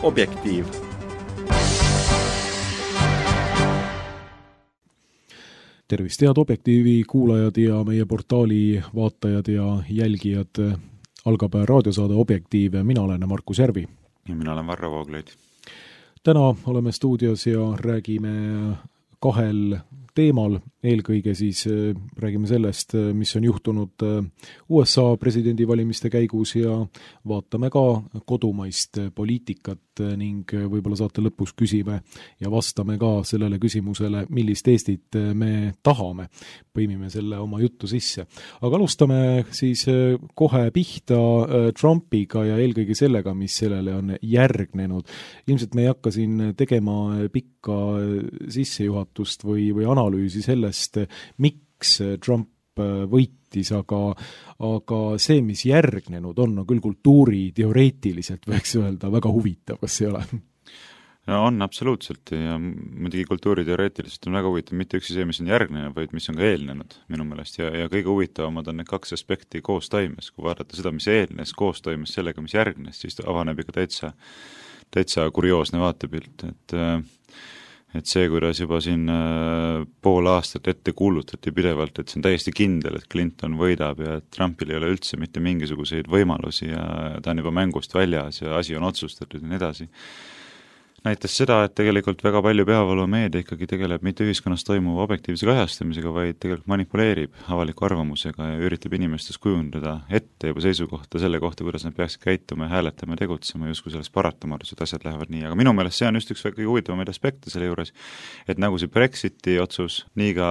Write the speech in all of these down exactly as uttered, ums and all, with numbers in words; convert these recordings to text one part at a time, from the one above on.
Objektiiv. Tervist, head Objektiivi kuulajad ja meie portaali vaatajad ja jälgijad. Algab raadiosaade Objektiiv. Mina olen Markus Järvi. Ja mina olen Varro Vooglaid. Täna oleme stuudios ja räägime kahel teemal. Eelkõige siis räägime sellest, mis on juhtunud U S A presidendivalimiste käigus ja vaatame ka kodumaist poliitikat ning võib-olla saate lõpus küsime ja vastame ka sellele küsimusele, millist Eestit me tahame. Põimime selle oma juttu sisse. Aga alustame siis kohe pihta Trumpiga ja eelkõige sellega, mis sellele on järgnenud. Ilmselt me ei hakka siin tegema pikka sissejuhatust või, või analüüsi sellest, miks Trump võitis, aga, aga see, mis järgnenud on, on küll kultuuri teoreetiliselt võiks öelda väga huvitav, kas ei ole? No on absoluutselt ja muidugi kultuuri teoreetiliselt on väga huvitav mitte üksi see, mis on järgnenud, vaid mis on ka eelnenud minu meelest ja, ja kõige huvitavamad on need kaks aspekti koos toimes. Kui vaadata seda, mis eelnes, koos toimes sellega, mis järgnes, siis avaneb ikka täitsa, täitsa kurioosne vaatepilt, et et see, kuidas juba siin pool aastat ette kuulutati pidevalt, et see on täiesti kindel, et Clinton võidab ja et Trumpil ei ole üldse mitte mingisuguseid võimalusi ja ta on juba mängust väljas ja asi on otsustatud ja nii edasi. Näitas seda, et tegelikult väga palju peavoolumeedia ikkagi tegeleb mitte ühiskonnas toimuva objektiivse kajastamisega, vaid tegelikult manipuleerib avaliku arvamusega ja üritab inimestes kujundada ette juba seisukohta selle kohta, kuidas nad peaksid käituma ja hääletama ja tegutsema, justkui selles paratamatus, et asjad lähevad nii. Aga minu meelest see on just üks väga huvitavamaid aspekte selle juures, et nagu see Brexiti otsus, nii ka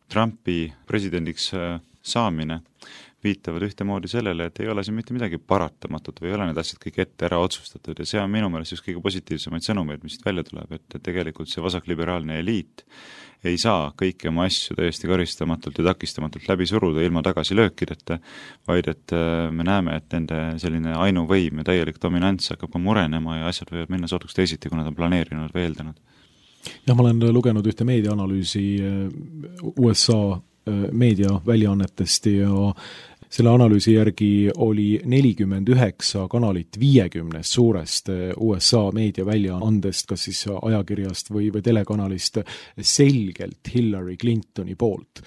Trumpi presidendiks saamine viitavad ühtemoodi sellele, et ei ole siin mitte midagi paratamatut või ei ole need asjad kõik ette ära otsustatud ja see on minu meelest just kõige positiivsemaid sõnumeid, mis välja tuleb, et tegelikult see vasakliberaalne eliit ei saa kõiki oma asju täiesti karistamatult ja takistamatult läbi suruda ilma tagasilöökideta, vaid et me näeme, et nende selline ainuvõim ja täielik dominants hakkab ka murenema ja asjad võivad minna sootuks teisiti, kui nad on planeerinud või eeldanud. Ja ma olen lugenud ühte meediaanalüüsi U S A meediaväljaannetest ja selle analüüsi järgi oli nelikümmend üheksa kanalit viiekümnest suurest U S A meediaväljaandest, kas siis ajakirjast või, või telekanalist, selgelt Hillary Clintoni poolt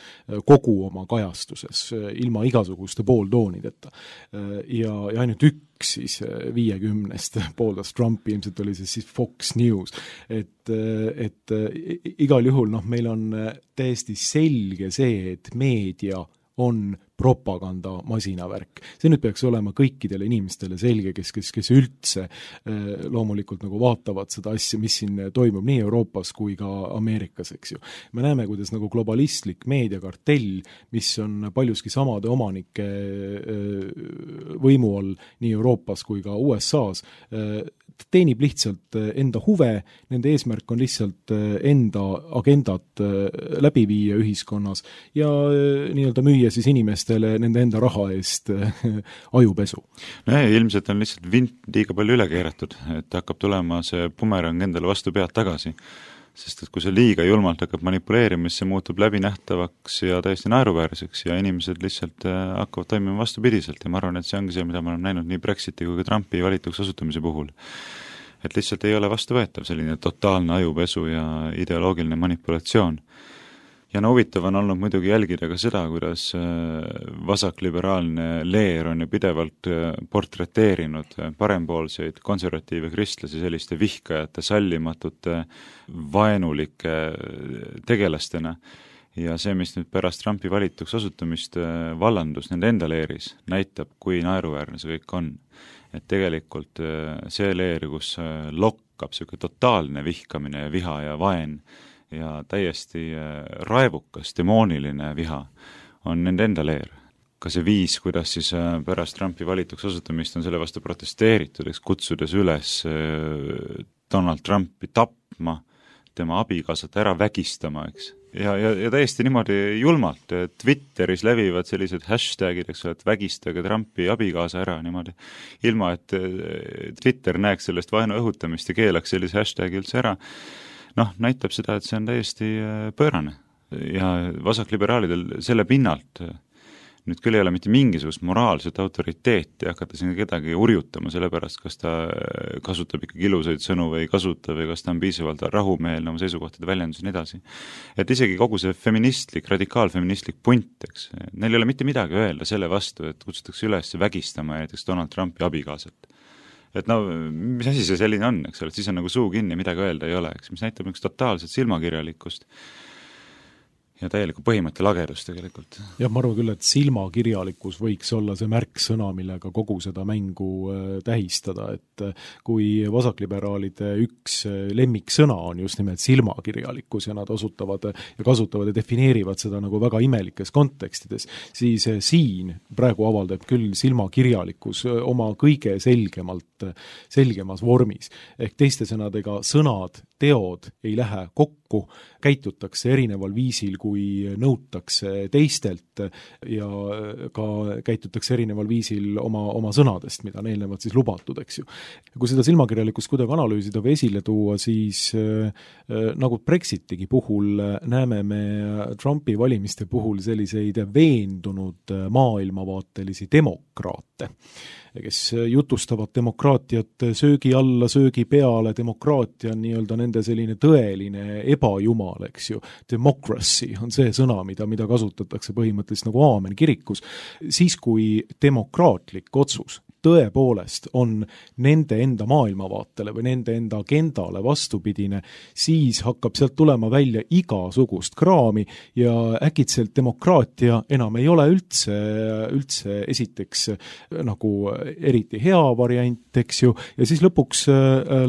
kogu oma kajastuses, ilma igasuguste pooltoonideta. Ja, ja ainult üks siis viiekümnest pooldas Trumpi, ilmselt oli see siis Fox News, et, et igal juhul noh, meil on täiesti selge see, et meedia on propaganda masinavärk. See nüüd peaks olema kõikidele inimestele selge, kes, kes, kes üldse loomulikult nagu vaatavad seda asja, mis siin toimub nii Euroopas kui ka Ameerikas, eks ju. Me näeme, kuidas nagu globalistlik meediakartell, mis on paljuski samade omanike võimu all nii Euroopas kui ka U S A-s, teenib lihtsalt enda huve, nende eesmärk on lihtsalt enda agendat läbi viia ühiskonnas ja nii-öelda müüa siis inimestele nende enda raha eest ajupesu. No ei, ilmselt on lihtsalt vint liiga palju üle keeratud, et hakkab tulema see bumerang endale vastu pead tagasi. Sest et kui see liiga julmalt hakkab manipuleerima, siis see muutub läbinähtavaks ja täiesti naeruväärseks ja inimesed lihtsalt hakkavad toimima vastupidiselt ja ma arvan, et see ongi see, mida me oleme näinud nii Brexiti kui ka Trumpi valituks osutamise puhul. Et lihtsalt ei ole vastuvõetav selline totaalne ajupesu ja ideoloogiline manipulatsioon. Ja no huvitav on olnud muidugi jälgida ka seda, kuidas vasakliberaalne leer on ju pidevalt portreteerinud parempoolseid konservatiive kristlasi selliste vihkajate, sallimatute, vaenulike tegelastena. Ja see, mis nüüd pärast Trumpi valituks osutumist vallandus nende enda leeris, näitab, kui naeruväärne see kõik on. Et tegelikult see leer, kus lokkab selline totaalne vihkamine ja viha ja vaen, ja täiesti raevukas, demooniline viha on nende enda leer. Ka see viis, kuidas siis pärast Trumpi valituks osutumist on selle vastu protesteeritud, eks kutsudes üles Donald Trumpi tapma, tema abikaasat ära vägistama, eks. Ja, ja, ja täiesti niimoodi julmalt, Twitteris levivad sellised hashtagid, eks, et vägistage Trumpi abikaasa ära niimoodi, ilma et Twitter näeks sellest vaenu õhutamist ja keelaks sellise hashtagi üldse ära. Noh, näitab seda, et see on täiesti pöörane ja vasakliberaalidel selle pinnalt nüüd küll ei ole mitte mingisugust moraalset autoriteeti hakata siin kedagi urjutama selle pärast, kas ta kasutab ikkagi ilusaid sõnu või ei kasuta või kas ta on piisavalt rahumeelne oma seisukohtade väljendus ja nii edasi. Et isegi kogu see feministlik, radikaalfeministlik punt, eks, neil ei ole mitte midagi öelda selle vastu, et kutsutakse üles vägistama näiteks Donald Trumpi abikaasat. Et no, mis asi see selline on, eks ole, et siis on nagu suu kinni, midagi öelda ei ole, eks, mis näitab üks totaalset silmakirjalikkust ja täielikku põhimõtte lagedust tegelikult. Jah, ma arvan küll, et silmakirjalikkus võiks olla see märksõna, millega kogu seda mängu tähistada, et kui vasakliberaalide üks lemmiksõna on just nimelt silmakirjalikkus ja nad osutavad ja kasutavad ja defineerivad seda nagu väga imelikes kontekstides, siis siin praegu avaldab küll silmakirjalikkus oma kõige selgemalt, selgemas vormis. Ehk teiste sõnadega sõnad, teod ei lähe kokku, käitutakse erineval viisil, kui nõutakse teistelt ja ka käitutakse erineval viisil oma, oma sõnadest, mida on eelnevalt siis lubatud, eks ju. Kui seda silmakirjalikkust kuidagi analüüsida või esile tuua, siis äh, nagu Brexitigi puhul näeme me Trumpi valimiste puhul selliseid veendunud maailmavaatelisi demokraate, kes jutustavad demokraatiat söögi alla, söögi peale, demokraatia on nii-öelda nende selline tõeline ebajumal, eks ju. Democracy on see sõna, mida, mida kasutatakse põhimõtteliselt nagu aamen kirikus. Siis, kui demokraatlik otsus tõepoolest on nende enda maailmavaatele või nende enda agendale vastupidine, siis hakkab sealt tulema välja igasugust kraami ja äkitselt demokraatia enam ei ole üldse, üldse esiteks nagu eriti hea variant, eks ju, ja siis lõpuks,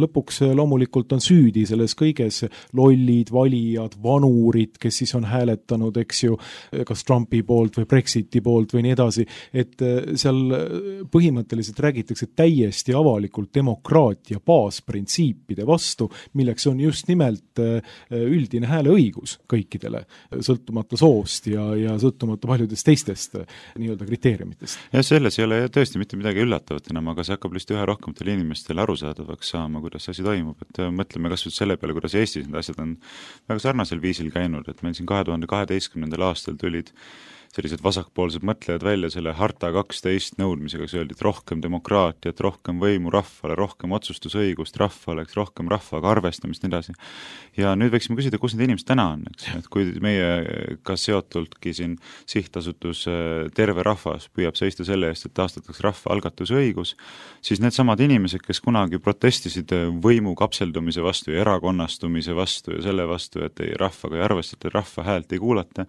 lõpuks loomulikult on süüdi selles kõiges lollid, valijad, vanurid, kes siis on hääletanud, eks ju, kas Trumpi poolt või Brexiti poolt või nii edasi, et seal põhimõtteliselt räägitakse täiesti avalikult demokraatia baasprintsiipide vastu, milleks on just nimelt üldine hääleõigus kõikidele, sõltumata soost ja, ja sõltumata paljudest teistest nii-öelda kriteeriumitest. Ja selles ei ole tõesti mitte midagi üllatavat enam, aga see hakkab lihtsalt ühe rohkematel inimestel arusaadavaks saama, kuidas asi toimub, et mõtleme kas või selle peale, kuidas Eestis need asjad on väga sarnasel viisil käinud, et meil siin kahe tuhande kaheteistkümnendal aastal tulid sellised vasakpoolsed mõtlejad välja selle harta kaksteist nõudmisega, kus öeldi, et rohkem demokraatiat, rohkem võimu rahvale, rohkem otsustusõigust rahvale, rohkem rahvaga arvestamist, nii edasi. Ja nüüd võiksime küsida, kus need inimesed täna on, eks? Et kui meie ka seotultki siin sihtasutus terve rahvas püüab seista selle eest, et taastatakse rahva algatusõigus, siis need samad inimesed, kes kunagi protestisid võimu kapseldumise vastu ja erakonnastumise vastu ja selle vastu, et ei rahvaga ei arvestata, rahva häält ei kuulata,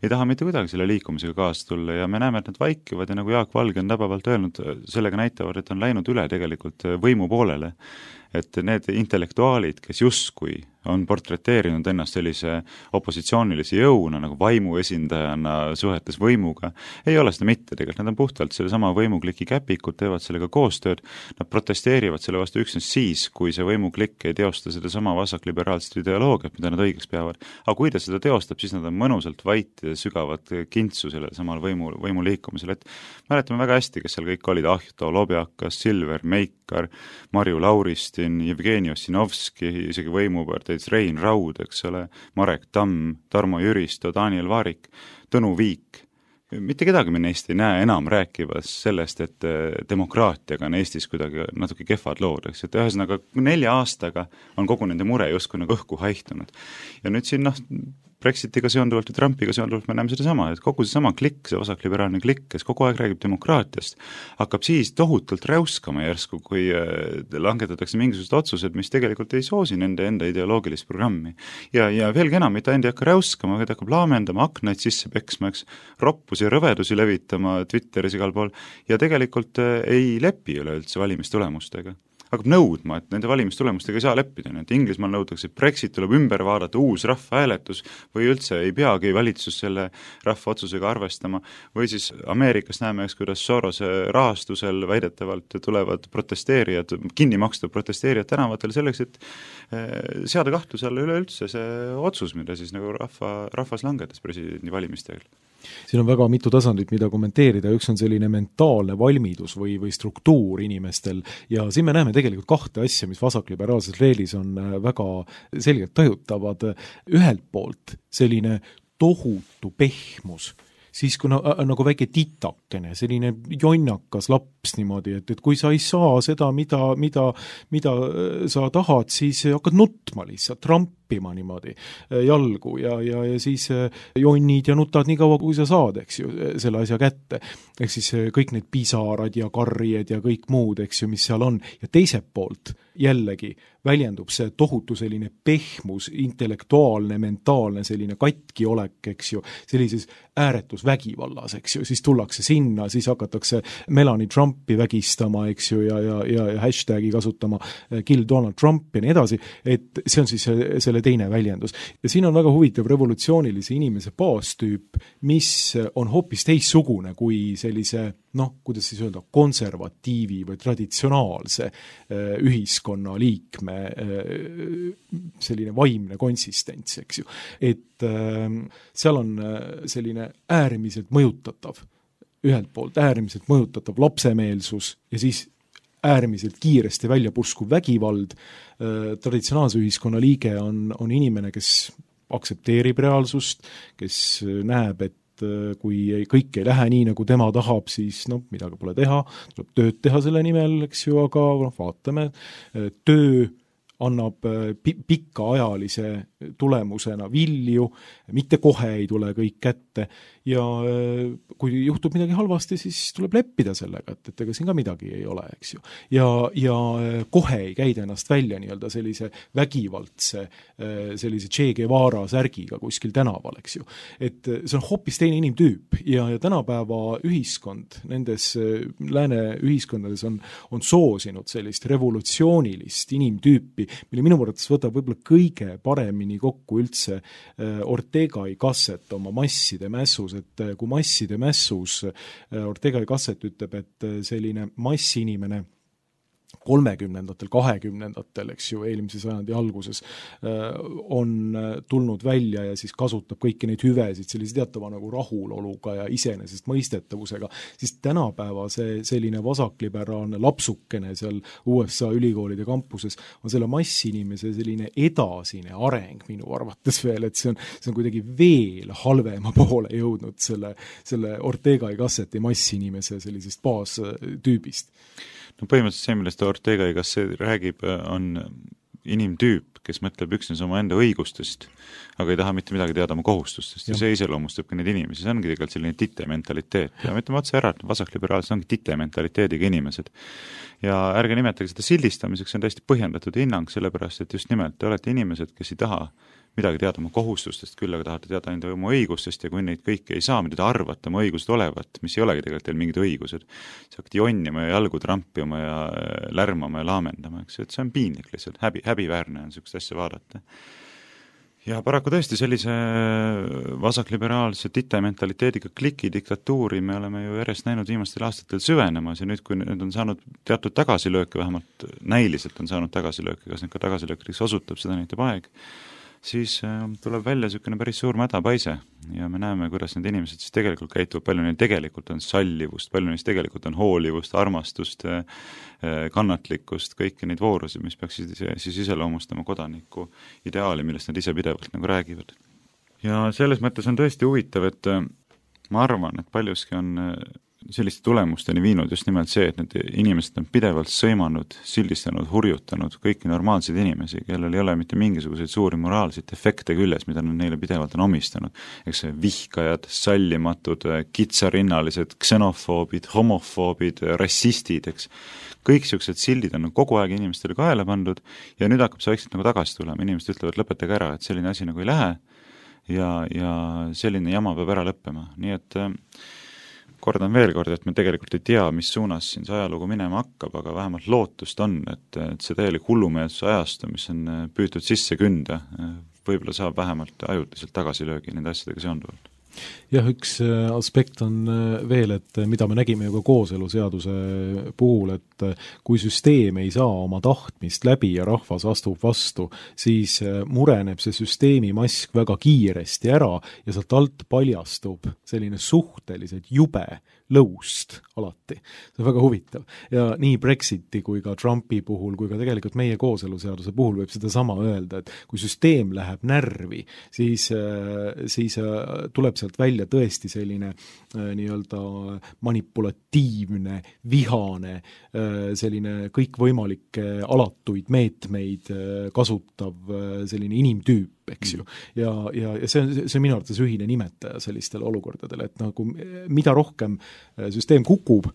ei taha mitte kuidagi selle liikumisega kaasa tulla ja me näeme, et nad vaikivad ja nagu Jaak Valge on tabavalt öelnud, sellega näitavad, et on läinud üle tegelikult võimu poolele. Et need intellektuaalid, kes justkui on portreteerinud ennast sellise opositsioonilise jõuna nagu vaimu esindajana suhetes võimuga, ei ole seda mitte tegelikult, nad on puhtalt selle sama võimukliki käpikud, teevad sellega koostööd, nad protesteerivad selle vastu üksnes siis, kui see võimuklikk ei teosta seda sama vasakliberaalset ideoloogiat, mida nad õigeks peavad. Aga kui ta seda teostab, siis nad on mõnusalt vait ja sügavat kintsu sellele samal võimu, võimu liikumisel, et mäletame väga hästi, kes seal kõik olid, Ahto Lobjakas, Silver Meikar, Marju Lauristin, Jevgeni Ossinovski, isegi võimuparteid, Rein Raud, eks ole, Marek Tamm, Tarmo Jüristo, Daniel Vaarik, Tõnu Viik. Mitte kedagi me neist ei näe enam rääkivas sellest, et demokraatiaga on Eestis kuidagi natuke kehvad lood, eks, et ühesõnaga nelja aastaga on kogu nende mure justkui nagu õhku haihtunud. Ja nüüd siin, noh, Brexitiga seonduvalt ja Trumpiga seonduvalt me näeme seda sama, et kogu see sama klikk, see vasakliberaalne klikk, kes kogu aeg räägib demokraatiast, hakkab siis tohutult räuskama järsku, kui langetatakse mingisugused otsused, mis tegelikult ei soosi nende enda ideoloogilist programmi. Ja, ja veelgi enam, mitte enda ei hakka räuskama, vaid hakkab laamendama, aknaid sisse peksma, eks, roppusi ja rõvedusi levitama Twitteris igal pool ja tegelikult ei lepi üleüldse valimistulemustega. Hakkab nõudma, et nende valimistulemustega ei saa leppida, et Inglismaal nõutakse, et Brexit tuleb ümber vaadata, uus rahvahääletus või üldse ei peagi valitsus selle rahva otsusega arvestama või siis Ameerikas näeme, eks, kuidas Sorose rahastusel väidetavalt tulevad protesteerijad, kinni maksta protesteerijad tänavatel selleks, et seada kahtluse alla üleüldse see otsus, mida siis nagu rahva, rahvas langetas presidendi valimisteel. Siin on väga mitu tasandit, mida kommenteerida, üks on selline mentaalne valmidus või, või struktuur inimestel ja siin me näeme tegelikult kahte asja, mis vasakliberaalses leelis on väga selgelt tajutavad. Ühelt poolt selline tohutu pehmus siis kui na, nagu väike titakene, selline jonnakas laps niimoodi, et, et kui sa ei saa seda, mida, mida, mida sa tahad, siis hakkad nutma lihtsalt, trampima niimoodi jalgu ja, ja, ja siis jonnid ja nutad nii kaua, kui sa saad, eks ju, selle asja kätte. Ehk siis kõik need pisarad ja karjed ja kõik muud, eks ju, mis seal on. Ja teiselt poolt jällegi väljendub see tohutu selline pehmus, intellektuaalne, mentaalne selline katki olek, eks ju, sellises ääretus vägivallas, eks ju, siis tullakse sinna, siis hakatakse Melanie Trumpi vägistama, eks ju, ja, ja, ja, ja hashtagi kasutama Kill Donald Trump ja nii edasi, et see on siis selle teine väljendus. Ja siin on väga huvitav revolutsioonilise inimese baastüüp, mis on hoopis teissugune kui sellise, noh, kuidas siis öelda, konservatiivi või traditsionaalse ühiskonna liikme selline vaimne konsistents, eks ju. Et seal on selline äärmiselt mõjutatav, ühelt poolt äärmiselt mõjutatav lapsemeelsus ja siis äärmiselt kiiresti välja purskuv vägivald. Traditsionaalse ühiskonna liige on, on inimene, kes aktsepteerib reaalsust, kes näeb, et kui ei, kõik ei lähe nii, nagu tema tahab, siis noh, midagi pole teha, tuleb tööd teha selle nimel, eks ju, aga noh, vaatame, töö annab pikaajalise tulemusena vilju, mitte kohe ei tule kõik kätte ja kui juhtub midagi halvasti, siis tuleb leppida sellega, et, et ega siin ka midagi ei ole, eks ju. Ja, ja kohe ei käida ennast välja nii-öelda sellise vägivaldse, sellise Che Guevara särgiga kuskil tänaval, eks ju. Et see on hoopis teine inimtüüp ja, ja tänapäeva ühiskond, nendes lääne ühiskondades on, on soosinud sellist revolutsioonilist inimtüüpi, mille minu mõttes võtab võib-olla kõige paremini kokku üldse Ortega y Gasset oma masside mässus, et kui masside mässus Ortega y Gasset ütleb, et selline massinimene kolmekümnendatel, kahekümnendatel, eks ju, eelmise sajandi alguses on tulnud välja ja siis kasutab kõiki neid hüvesid sellise teatava nagu rahuloluga ja iseenesest mõistetavusega, siis tänapäeva see selline vasakliberaalne lapsukene seal U S A ülikoolide kampuses on selle massinimese selline edasine areng minu arvates veel, et see on, see on kuidagi veel halvema poole jõudnud selle, selle Ortega y Gasseti massinimese sellisest baastüübist. No põhimõtteliselt see, millest Ortega y Gasset räägib, on inimtüüp, kes mõtleb üksnes oma enda õigustest, aga ei taha mitte midagi teada oma kohustustest ja, ja see iseloomustab ka neid inimesi. See ongi tegelikult selline tite mentaliteet ja ütleme otse ära, et vasakliberaalsed ongi tite mentaliteediga inimesed. Ja ärge nimetage seda sildistamiseks, see on täiesti põhjendatud hinnang, sellepärast, et just nimelt te olete inimesed, kes ei taha midagi teada oma kohustustest, küll aga tahate teada enda oma õigustest ja kui neid kõiki ei saa, mida te arvate oma õigused olevat, mis ei olegi tegelikult teil mingid õigused, siis hakkate jonnima ja jalgu trampima ja lärmama ja laamendama, eks, et see on piinlik lihtsalt, häbi, häbiväärne on niisugust asja vaadata. Ja paraku tõesti sellise vasakliberaalse tite mentaliteediga kliki diktatuuri me oleme ju järjest näinud viimastel aastatel süvenemas ja nüüd, kui nüüd on saanud teatud tagasilööke, vähemalt näiliselt on saanud tagasilööke, kas need ka tagasilöökideks osutub, seda näitab aeg, siis tuleb välja niisugune päris suur mädapaise ja me näeme, kuidas need inimesed siis tegelikult käituvad, palju neil tegelikult on sallivust, palju neil tegelikult on hoolivust, armastust, kannatlikkust, kõiki neid voorusi, mis peaksid siis iseloomustama kodaniku ideaali, millest nad ise pidevalt nagu räägivad. Ja selles mõttes on tõesti huvitav, et ma arvan, et paljuski on selliste tulemusteni viinud just nimelt see, et need inimesed on pidevalt sõimanud, sildistanud, hurjutanud kõiki normaalseid inimesi, kellel ei ole mitte mingisuguseid suuri moraalseid efekte küljes, mida nad neile pidevalt on omistanud. Eks see vihkajad, sallimatud, kitsarinnalised, ksenofoobid, homofoobid, rassistid, eks. Kõik sellised sildid on kogu aeg inimestele kaela pandud ja nüüd hakkab see vaikselt nagu tagasi tulema. Inimesed ütlevad, lõpetage ära, et selline asi nagu ei lähe ja, ja selline jama peab ära lõppema. Nii et kordan veel kord, et me tegelikult ei tea, mis suunas siin see ajalugu minema hakkab, aga vähemalt lootust on, et, et see täielik hullumeelsuse ajastu, mis on püütud sisse künda, võib-olla saab vähemalt ajutiselt tagasilöögi nende asjadega seonduvalt. Jah, üks aspekt on veel, et mida me nägime ju ka kooseluseaduse puhul, et kui süsteem ei saa oma tahtmist läbi ja rahvas astub vastu, siis mureneb see süsteemi mask väga kiiresti ära ja sealt alt paljastub selline suhteliselt jube lõust alati. See on väga huvitav. Ja nii Brexiti kui ka Trumpi puhul, kui ka tegelikult meie kooseluseaduse puhul võib seda sama öelda, et kui süsteem läheb närvi, siis, siis tuleb sealt välja tõesti selline nii-öelda manipulatiivne, vihane, selline kõikvõimalikke alatuid meetmeid kasutav selline inimtüüp, eks ju. Ja, ja, ja see on, see on minu arvates ühine nimetaja sellistele olukordadele, et nagu mida rohkem süsteem kukub,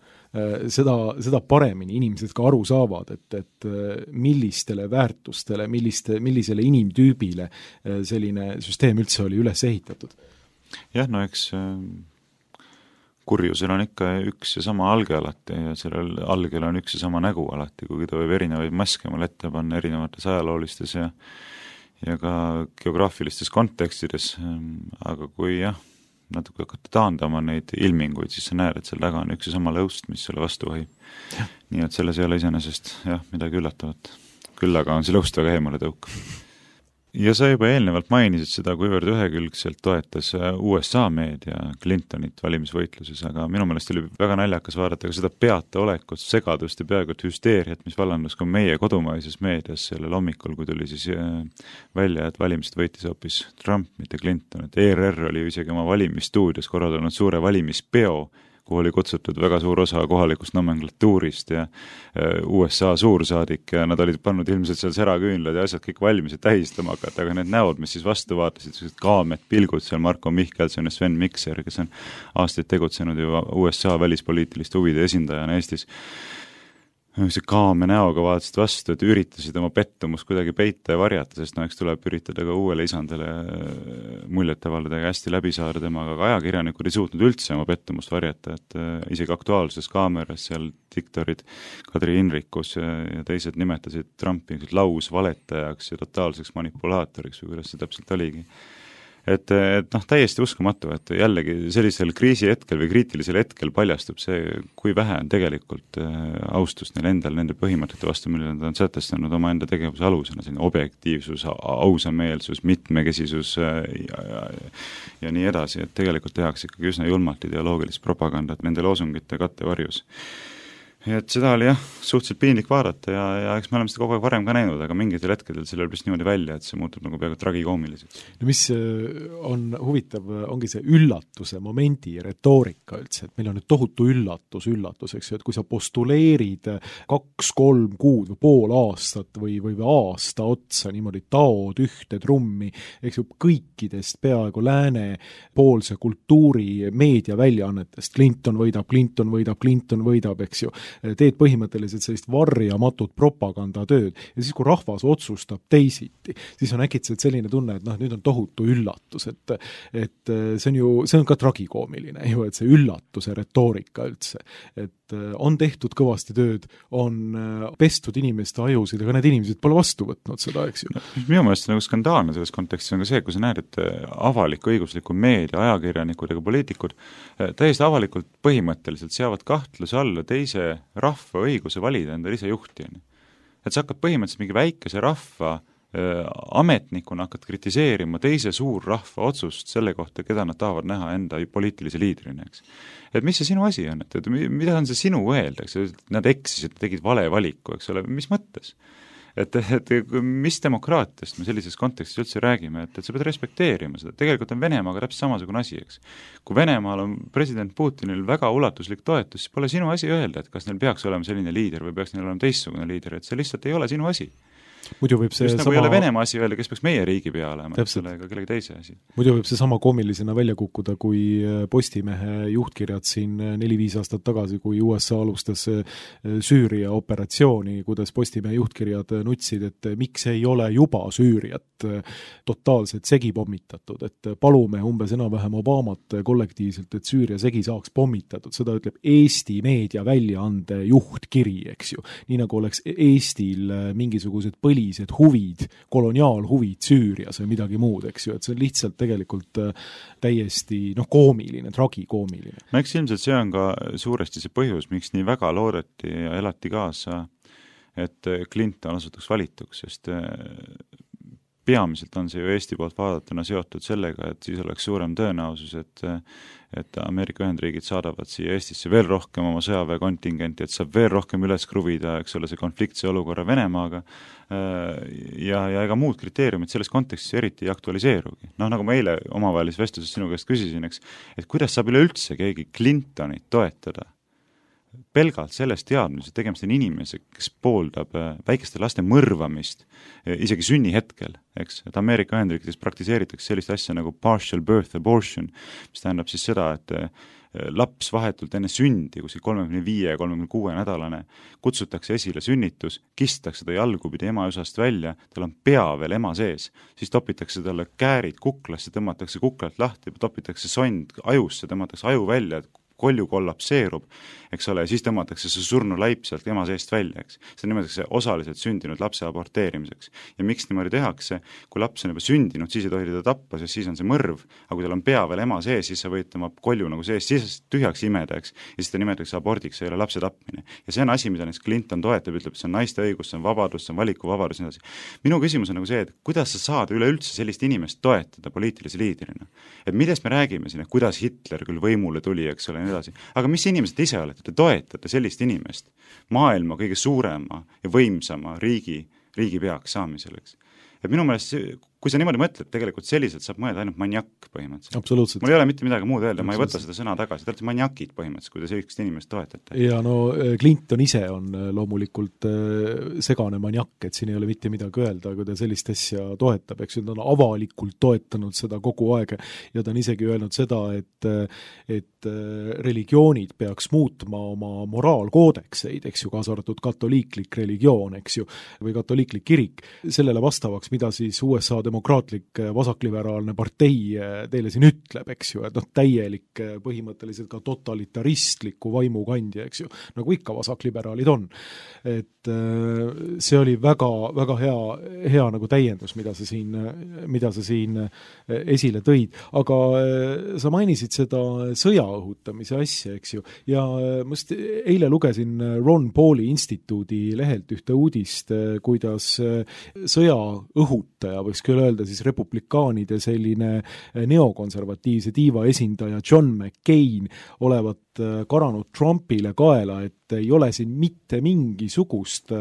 seda, seda paremini inimesed ka aru saavad, et, et millistele väärtustele, milliste, millisele inimtüübile selline süsteem üldse oli üles ehitatud. Jah, no eks kurjusel on ikka üks ja sama alge alati ja sellel algel on üks ja sama nägu alati, kuigi ta võib erinevaid maske mul ette panna erinevates ajaloolistes ja ja ka geograafilistes kontekstides, aga kui jah, natuke hakata taandama neid ilminguid, siis sa näed, et seal taga on üks ja sama lõust, mis selle vastu vahib. Nii et selles ei ole iseenesest jah, midagi üllatavat. Küll aga on see lõust väga eemale tõuk. Ja sa juba eelnevalt mainisid seda, kuivõrd ühekülgselt toetas U S A meedia Clintonit valimisvõitluses, aga minu meelest oli väga naljakas vaadata ka seda peataolekut, segadust ja peaaegu hüsteeriat, mis vallandus ka meie kodumaises meedias sellel hommikul, kui tuli siis välja, et valimised võitis hoopis Trump, mitte Clinton, et E R R oli isegi oma valimisstuudios korraldanud suure valimispeo, kuhu oli kutsutud väga suur osa kohalikust nomenklatuurist ja U S A suursaadik ja nad olid pannud ilmselt seal säraküünlad ja asjad kõik valmis ja tähistama hakata, aga need näod, mis siis vastu vaatasid, kaamed, pilgud seal Marko Mihkelson ja Sven Mikser, kes on aastaid tegutsenud juba U S A välispoliitiliste huvide esindajana Eestis, see kaame näoga vaatasid vastu, et üritasid oma pettumust kuidagi peita ja varjata, sest no eks tuleb üritada ka uuele isandale muljet avaldada ja hästi läbi saada temaga, aga ajakirjanikud ei suutnud üldse oma pettumust varjata, et isegi aktuaalses kaameras seal diktorid Kadri Inrikus ja, ja teised nimetasid Trumpi lausvaletajaks ja totaalseks manipulaatoriks või kuidas see täpselt oligi. Et, et noh, täiesti uskumatu, et jällegi sellisel kriisi hetkel või kriitilisel hetkel paljastub see, kui vähe on tegelikult austust neil endal, nende põhimõtete vastu, mille nad on sätestanud oma enda tegevuse alusena, selline objektiivsus, ausameelsus, mitmekesisus ja, ja, ja nii edasi, et tegelikult tehakse ikkagi üsna julmalt ideoloogilist propagandat nende loosungite kattevarjus. Et seda oli jah, suhteliselt piinlik vaadata ja, ja eks me oleme seda kogu aeg varem ka näinud, aga mingitel hetkedel see lööb niimoodi välja, et see muutub nagu peaaegu tragikoomiliseks. No mis on huvitav, ongi see üllatuse momendi retoorika üldse, et meil on nüüd tohutu üllatus, üllatus, eks ju, et kui sa postuleerid kaks, kolm kuud või pool aastat või, või aasta otsa niimoodi taod ühte trummi, eks ju, kõikidest peaaegu lääne poolse kultuuri meedia väljaannetest, Clinton võidab, Clinton võidab, Clinton võidab, eks ju, teed põhimõtteliselt sellist varjamatut propagandatööd ja siis, kui rahvas otsustab teisiti, siis on äkitselt selline tunne, et noh, nüüd on tohutu üllatus, et, et see on ju, see on ka tragikoomiline ju, et see üllatuse retoorika üldse, et on tehtud kõvasti tööd, on pestud inimeste ajusid, aga need inimesed pole vastu võtnud seda, eks ju. Minu meelest nagu skandaalne selles kontekstis on ka see, kui sa näed, et avalik õigusliku meedia, ajakirjanikud ja poliitikud täiesti avalikult põhimõtteliselt seavad kahtluse alla teise rahva õiguse valida endale ise juhti. Et sa hakkad põhimõtteliselt mingi väikese rahva ametnikuna hakkad kritiseerima teise suur rahva otsust selle kohta, keda nad tahavad näha enda poliitilise liidrina, eks. Et mis see sinu asi on, et, et mida on see sinu öelda, eks, nad eksisid, tegid vale valiku, eks ole, mis mõttes? Et, et mis demokraatiast me sellises kontekstis üldse räägime, et, et sa pead respekteerima seda, tegelikult on Venemaaga täpselt samasugune asi, eks. Kui Venemaal on president Putinil väga ulatuslik toetus, siis pole sinu asi öelda, et kas neil peaks olema selline liider või peaks neil olema teistsugune liider, et see lihtsalt ei ole sinu asi. Muidu võib see just sama... nagu ei ole Venemaa asi öelda, kes peaks meie riigi pea olema, et selle ega kellegi teise asi. Muidu võib see sama koomilisena välja kukkuda, kui Postimehe juhtkirjad siin neli-viis aastat tagasi, kui U S A alustas Süüria operatsiooni, kuidas Postimehe juhtkirjad nutsid, et miks ei ole juba Süüriat totaalselt segi pommitatud, et palume umbes enam-vähem Obamat kollektiivselt, et Süüria segi saaks pommitatud, seda ütleb Eesti meedia väljaande juhtkiri, eks ju. Nii nagu oleks Eestil mingisugused põlised huvid, koloniaalhuvid Süürias või midagi muud, eks ju, et see on lihtsalt tegelikult täiesti noh, koomiline, tragikoomiline. No eks ilmselt see on ka suuresti see põhjus, miks nii väga loodeti ja elati kaasa, et Clinton osutuks valituks, sest peamiselt on see ju Eesti poolt vaadatuna seotud sellega, et siis oleks suurem tõenäosus, et et Ameerika Ühendriigid saadavad siia Eestisse veel rohkem oma sõjaväekontingenti, et saab veel rohkem üles kruvida, eks ole, see konfliktse olukorra Venemaaga ja, ja ega muud kriteeriumid selles kontekstis eriti ei aktualiseerugi. Noh, nagu ma eile omavahelises vestluses sinu käest küsisin, eks, et kuidas saab üleüldse keegi Clintonit toetada pelgalt sellest teadmisest, et tegemist on inimese, kes pooldab väikeste laste mõrvamist isegi sünnihetkel, eks, et Ameerika Ühendriikides praktiseeritakse sellist asja nagu partial birth abortion, mis tähendab siis seda, et laps vahetult enne sündi, kuskil kolmekümne viie ja kolmekümne kuue nädalane, kutsutakse esile sünnitus, kistakse ta jalgupidi ema osast välja, tal on pea veel ema sees, siis topitakse talle käärid kuklasse, tõmmatakse kuklalt lahti, topitakse sond ajusse, tõmmatakse aju välja, et kolju kollapseerub, eks ole, ja siis tõmmatakse see surnu laip sealt ema seest välja, eks. See nimetatakse osaliselt sündinud lapse aborteerimiseks. Ja miks niimoodi tehakse, kui laps on juba sündinud, siis ei tohi teda tappa, sest siis on see mõrv, aga kui tal on pea veel ema sees, siis sa võid tema kolju nagu sees, siis tühjaks imeda, eks, ja siis ta nimetatakse abordiks, see ei ole lapse tapmine. Ja see on asi, mida näiteks Clinton toetab, ütleb, see on naiste õigus, see on vabadus, see on valikuvabadus ja nii edasi. Minu küsimus on nagu see, et kuidas sa saad üleüldse sellist inimest toetada poliitilise liidrina? Et millest me räägime siin, et kuidas Hitler küll võimule tuli, eks ole, nii edasi. Aga mis inimesed ise olete? Te toetate sellist inimest maailma kõige suurema ja võimsama riigi, riigi peaks saamiseks. Et minu meelest, kui sa niimoodi mõtled, tegelikult selliselt saab mõelda ainult maniak põhimõtteliselt. Absoluutselt. Mul ei ole mitte midagi muud öelda, ma ei võta seda sõna tagasi, te olete maniakid põhimõtteliselt, kui te sellist inimest toetate. Ja no Clinton ise on loomulikult segane maniak, et siin ei ole mitte midagi öelda, kui ta sellist asja toetab, eks ju, ta on avalikult toetanud seda kogu aeg ja ta on isegi öelnud seda, et, et religioonid peaks muutma oma moraalkoodekseid, eks ju, kaasa arvatud katoliiklik religioon, eks ju, või katoliiklik kirik, sellele vastavaks, mida siis U S A demokraatlik vasakliberaalne partei teile siin ütleb, eks ju, et noh, täielik põhimõtteliselt ka totalitaristliku vaimukandja, eks ju, nagu ikka vasakliberaalid on. Et see oli väga, väga hea, hea nagu täiendus, mida sa siin, mida sa siin esile tõid. Aga sa mainisid seda sõja õhutamise asja, eks ju, ja ma just eile lugesin Ron Pauli instituudi lehelt ühte uudist, kuidas sõja õhutaja, võiks küll öelda siis republikaanide selline neokonservatiivse tiiva esindaja John McCain olevat karanud Trumpile kaela, et ei ole siin mitte mingisugust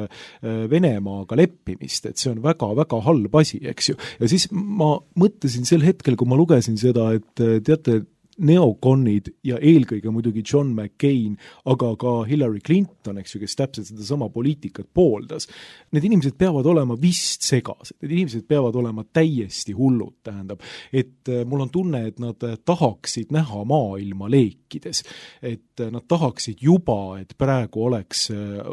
Venemaaga leppimist, et see on väga-väga halb asi, eks ju. Ja siis ma mõtlesin sel hetkel, kui ma lugesin seda, et teate, neokonid ja eelkõige muidugi John McCain, aga ka Hillary Clinton, eks ju, kes täpselt seda sama poliitikat pooldas. Need inimesed peavad olema vist segased, need inimesed peavad olema täiesti hullud, tähendab, et mul on tunne, et nad tahaksid näha maailma leekides, et nad tahaksid juba, et praegu oleks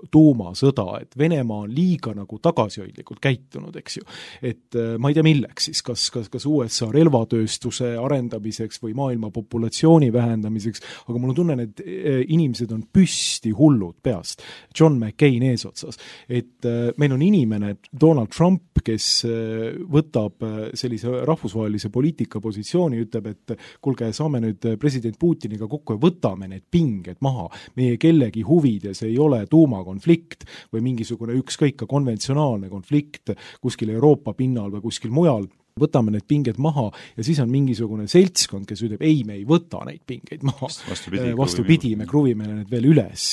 tuumasõda, et Venemaa on liiga nagu tagasihoidlikult käitunud, eks ju, et ma ei tea milleks siis, kas, kas, kas U S A relvatööstuse arendamiseks või maailma populatsiooni vähendamiseks, aga mul on tunne, et inimesed on püsti hullud peast. John McCain eesotsas. Et meil on inimene, Donald Trump, kes võtab sellise rahvusvahelise poliitika positsiooni, ütleb, et kuulge, saame nüüd president Putiniga kokku ja võtame need pinged maha. Meie kellegi huvides ei ole tuumakonflikt või mingisugune ükskõik ka konventsionaalne konflikt kuskil Euroopa pinnal või kuskil mujal. Võtame need pinged maha ja siis on mingisugune seltskond, kes ütleb, ei, me ei võta neid pingeid maha. Vastupidi, vastupidi me kruvime need veel üles.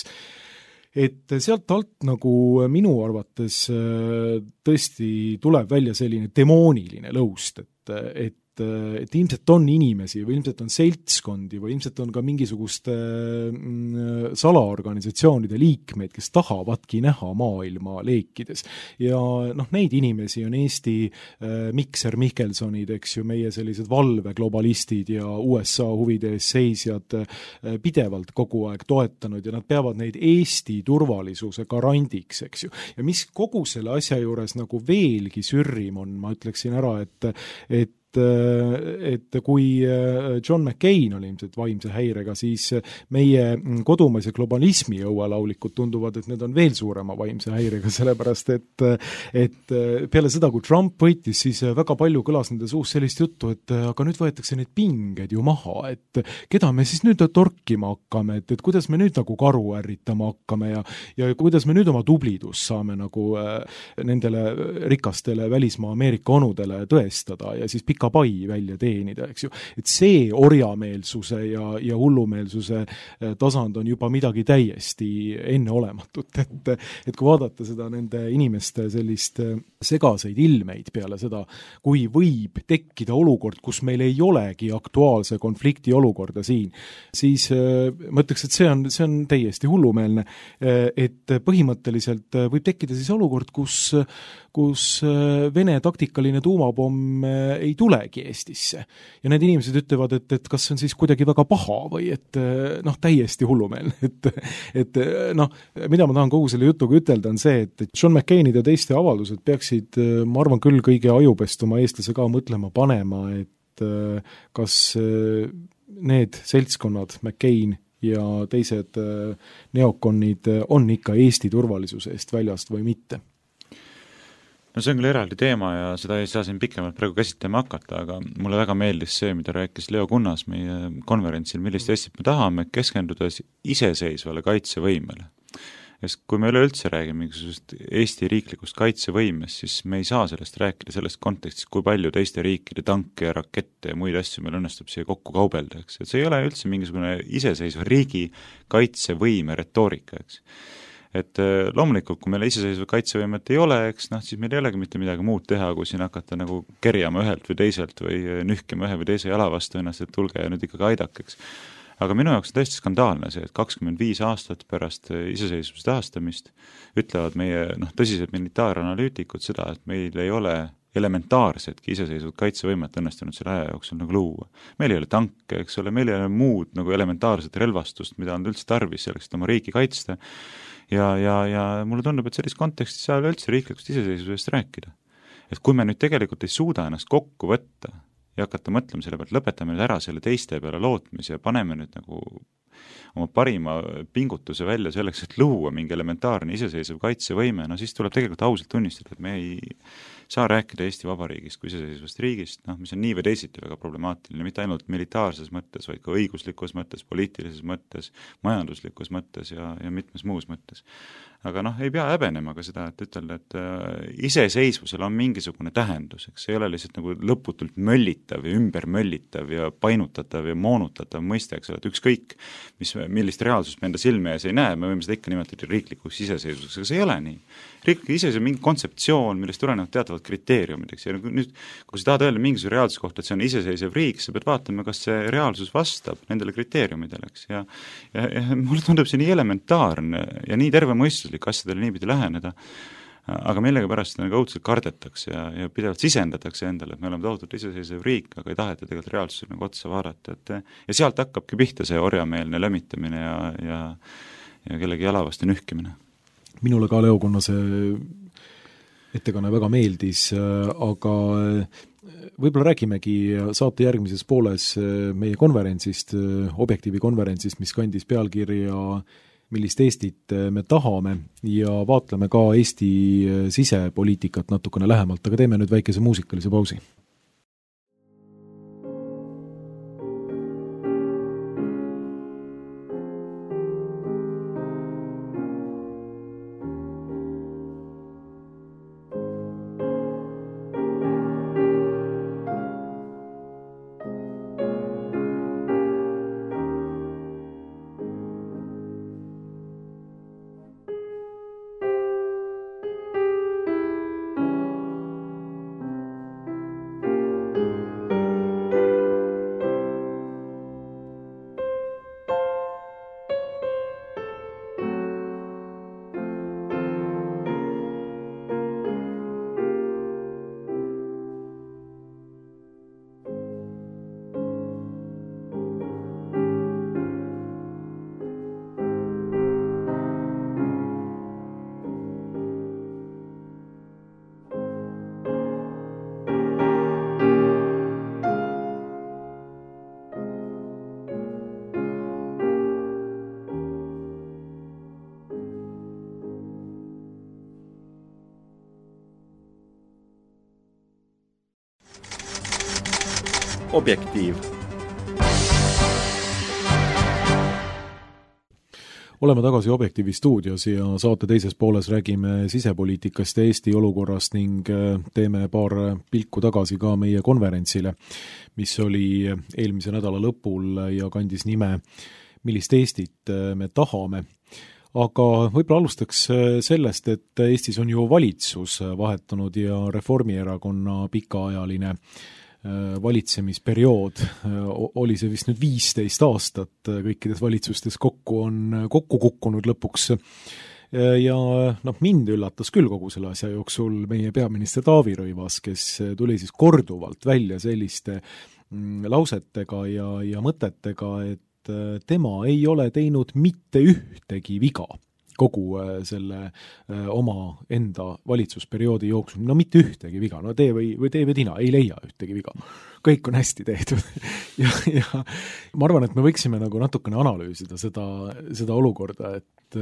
Et sealt alt nagu minu arvates tõesti tuleb välja selline demooniline lõust, et, et et ilmselt on inimesi või ilmselt on seltskondi või ilmselt on ka mingisuguste salaorganisatsioonide liikmeid, kes tahavadki näha maailma leekides. Ja noh, neid inimesi on Eesti Mikser Mikkelsonid, eks ju, meie sellised valveglobalistid ja U S A huvide ees seisjad pidevalt kogu aeg toetanud ja nad peavad neid Eesti turvalisuse garandiks, eks ju. Ja mis kogu selle asja juures nagu veelgi sürrim on, ma ütleksin ära, et, et et, et kui John McCain oli ilmselt vaimse häirega, siis meie kodumaise globalismi õuelaulikud tunduvad, et need on veel suurema vaimse häirega, sellepärast et, et peale seda, kui Trump võitis, siis väga palju kõlas nende suus sellist juttu, et aga nüüd võetakse need pinged ju maha, et keda me siis nüüd torkima hakkame, et, et kuidas me nüüd nagu karu ärritama hakkame ja, ja kuidas me nüüd oma tublidust saame nagu nendele rikastele välismaa Ameerika onudele tõestada ja siis pika pai välja teenida, eks ju. Et see orjameelsuse ja, ja hullumeelsuse tasand on juba midagi täiesti enneolematut, et, et kui vaadata seda nende inimeste sellist segaseid ilmeid peale seda, kui võib tekkida olukord, kus meil ei olegi aktuaalse konflikti olukorda siin, siis ma ütleks, et see on, see on täiesti hullumeelne, et põhimõtteliselt võib tekkida siis olukord, kus, kus Vene taktikaline tuumapomm ei tulegi Eestisse. Ja need inimesed ütlevad, et, et kas see on siis kuidagi väga paha või et noh, täiesti hullumeelne. Et, et noh, mida ma tahan kogu selle jutuga ütelda on see, et John McCainid ja teiste avaldused peaksid, ma arvan küll, kõige ajupestuma eestlase ka mõtlema panema, et kas need seltskonnad, McCain ja teised neokonid on ikka Eesti turvalisuse eest väljast või mitte. No see on küll eraldi teema ja seda ei saa siin pikemalt praegu käsitlema hakata, aga mulle väga meeldis see, mida rääkis Leo Kunnas meie konverentsil, millist Eestit me tahame, keskendudes iseseisvale kaitsevõimele. Sest kui me üleüldse räägime mingisugust Eesti riiklikust kaitsevõimest, siis me ei saa sellest rääkida selles kontekstis, kui palju teiste riikide tanke ja rakette ja muid asju meil õnnestub siia kokku kaubelda, eks. Et see ei ole üldse mingisugune iseseisva riigi kaitsevõime retoorika, eks. Et loomulikult, kui meil iseseisva kaitsevõimet ei ole, eks, noh, siis meil ei olegi mitte midagi muud teha, kui siin hakata nagu kerjama ühelt või teiselt või nühkima ühe või teise jala vastu ennast, et tulge ja nüüd ikkagi aidakeks. Aga minu jaoks on tõesti skandaalne see, et kakskümmend viis aastat pärast iseseisvuse taastamist ütlevad meie noh, tõsised militaaranalüütikud seda, et meil ei ole elementaarsetki iseseisvat kaitsevõimet õnnestunud selle aja jooksul nagu luua. Meil ei ole tanke, eks ole, meil ei ole muud nagu elementaarset relvastust, mida on üldse tarvis selleks, et oma riiki kaitsta. Ja, ja, ja mulle tundub, et selles kontekstis saa üldse riiklikust iseseisvusest rääkida. Et kui me nüüd tegelikult ei suuda ennast kokku võtta ja hakata mõtlema selle pealt, lõpetame nüüd ära selle teiste peale lootmise ja paneme nüüd nagu oma parima pingutuse välja selleks, et luua mingi elementaarne iseseisev kaitsevõime, no siis tuleb tegelikult ausalt tunnistada, et me ei saa rääkida Eesti Vabariigist kui iseseisvast riigist, noh, mis on nii või teisiti väga problemaatiline, mitte ainult militaarses mõttes, vaid ka õiguslikus mõttes, poliitilises mõttes, majanduslikus mõttes ja, ja mitmes muus mõttes. Aga noh, ei pea häbenema ka seda, et ütelda, et äh, iseseisvusel on mingisugune tähendus, eks see ei ole lihtsalt nagu lõputult möllitav ja ümber möllitav ja painutatav ja moonutatav mõiste, eks ole, et ükskõik, mis, millist reaalsust me enda silme ees ei näe, me võime seda ikka nimetada riiklikuks iseseisvuseks, aga see ei ole nii. Riiklik iseseisvus on mingi kontseptsioon, millest tulenevad teatavad kriteeriumid, eks ja nüüd, kui sa tahad öelda mingisuguse reaalsuse kohta, et see on iseseisev riik, sa pead vaatama, kas see reaalsus vastab nendele kriteeriumidele, eks ja, ja, ja mulle tundub see nii elementaarne ja nii tervemõistuslik asjadele niipidi läheneda, aga millega pärast nagu õudselt kardetakse ja, ja pidevalt sisendatakse endale, et me oleme tohutult iseseisev riik, aga ei taheta tegelikult reaalsusele nagu otsa vaadata, et ja sealt hakkabki pihta see orjameelne lämmitamine ja, ja, ja kellegi jala vastu nühkimine. Minule ka Leo Kunnase ettekanne väga meeldis, aga võib-olla räägimegi saate järgmises pooles meie konverentsist, Objektiivi konverentsist, mis kandis pealkirja millist Eestit me tahame ja vaatleme ka Eesti sisepoliitikat natukene lähemalt, aga teeme nüüd väikese muusikalise pausi. Objektiiv. Oleme tagasi Objektiivi stuudios ja saate teises pooles räägime sisepoliitikast ja Eesti olukorrast ning teeme paar pilku tagasi ka meie konverentsile, mis oli eelmise nädala lõpul ja kandis nime Millist Eestit me tahame. Aga võib-olla alustaks sellest, et Eestis on ju valitsus vahetunud ja Reformierakonna pikaajaline valitsemisperiood, oli see vist nüüd viisteist aastat, kõikides valitsustes kokku on kokku kukkunud lõpuks. Ja noh, mind üllatas küll kogu selle asja jooksul meie peaminister Taavi Rõivas, kes tuli siis korduvalt välja selliste lausetega ja, ja mõtetega, et tema ei ole teinud mitte ühtegi viga kogu selle oma enda valitsusperioodi jooksul. No mitte ühtegi viga, no tee või, või tee või tina, ei leia ühtegi viga. Kõik on hästi tehtud. ja, ja ma arvan, et me võiksime nagu natukene analüüsida seda, seda olukorda, et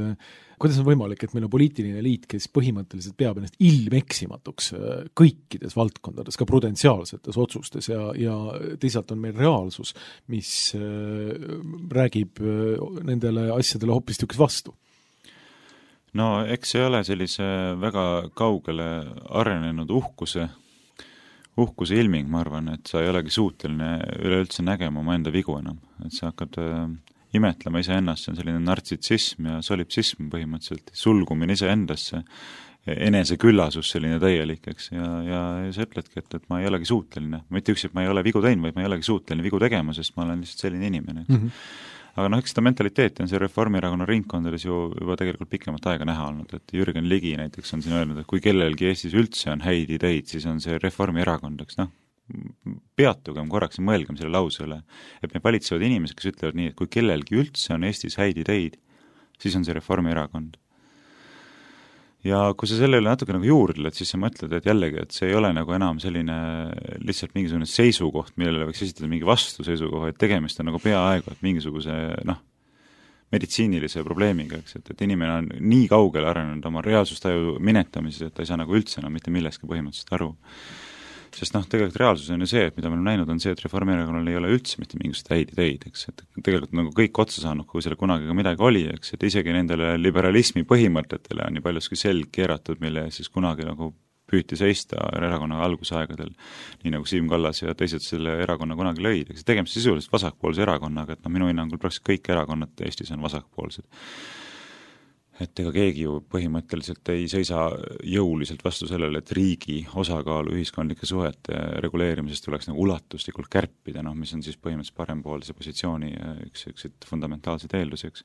kuidas on võimalik, et meil on poliitiline liit, kes põhimõtteliselt peab ennast ilmeksimatuks kõikides valdkondades, ka prudentsiaalsetes otsustes ja, ja teisalt on meil reaalsus, mis räägib nendele asjadele hoopis tükis vastu. No eks ei ole sellise väga kaugele arenenud uhkuse, uhkuse ilming, ma arvan, et sa ei olegi suuteline üleüldse nägema oma enda vigu enam. Et sa hakkad äh, imetlema ise ennast, see on selline nartsitsism ja solipsism põhimõtteliselt, sulgumine ise endasse, eneseküllasus selline täielik, eks, ja, ja sa ütledki, et, et ma ei olegi suuteline. Mitte üks, et ma ei ole vigu teinud, vaid ma ei olegi suuteline vigu tegema, sest ma olen lihtsalt selline inimene, eks. Mm-hmm. Aga noh, eks seda mentaliteeti on see Reformierakonna ringkondades ju juba tegelikult pikemat aega näha olnud, et Jürgen Ligi näiteks on siin öelnud, et kui kellelgi Eestis üldse on häid ideid, siis on see Reformierakond, eks noh, peatugem korraks ja mõelgem selle lause üle, et me valitsevad inimesed, kes ütlevad nii, et kui kellelgi üldse on Eestis häid ideid, siis on see Reformierakond. Ja kui sa selle üle natuke nagu juurdled, siis sa mõtled, et jällegi, et see ei ole nagu enam selline lihtsalt mingisugune seisukoht, millele võiks esitada mingi vastu seisukoha, et tegemist on nagu peaaegu, et mingisuguse noh, meditsiinilise probleemiga, eks, et, et inimene on nii kaugele arenenud oma reaalsustaju minetamises, et ta ei saa nagu üldse enam mitte milleski põhimõtteliselt aru. Sest noh, tegelikult reaalsus on ju see, et mida me oleme näinud, on see, et Reformierakonnal ei ole üldse mitte mingisugust häid ideid, eks, et tegelikult nagu kõik otsa saanud, kui selle kunagi ka midagi oli, eks, et isegi nendele liberalismi põhimõtetele on nii paljuski selg keeratud, mille siis kunagi nagu püüti seista erakonna algusaegadel, nii nagu Siim Kallas ja teised selle erakonna kunagi lõid, eks, tegemist sisuliselt vasakpoolse erakonnaga, et noh, minu hinnangul praktiliselt kõik erakonnad Eestis on vasakpoolsed. Et ega keegi ju põhimõtteliselt ei seisa jõuliselt vastu sellele, et riigi osakaalu ühiskondlike suhete reguleerimisest tuleks nagu ulatuslikult kärpida, noh, mis on siis põhimõtteliselt parempoolse positsiooni üks, üks fundamentaalseid eelduseks.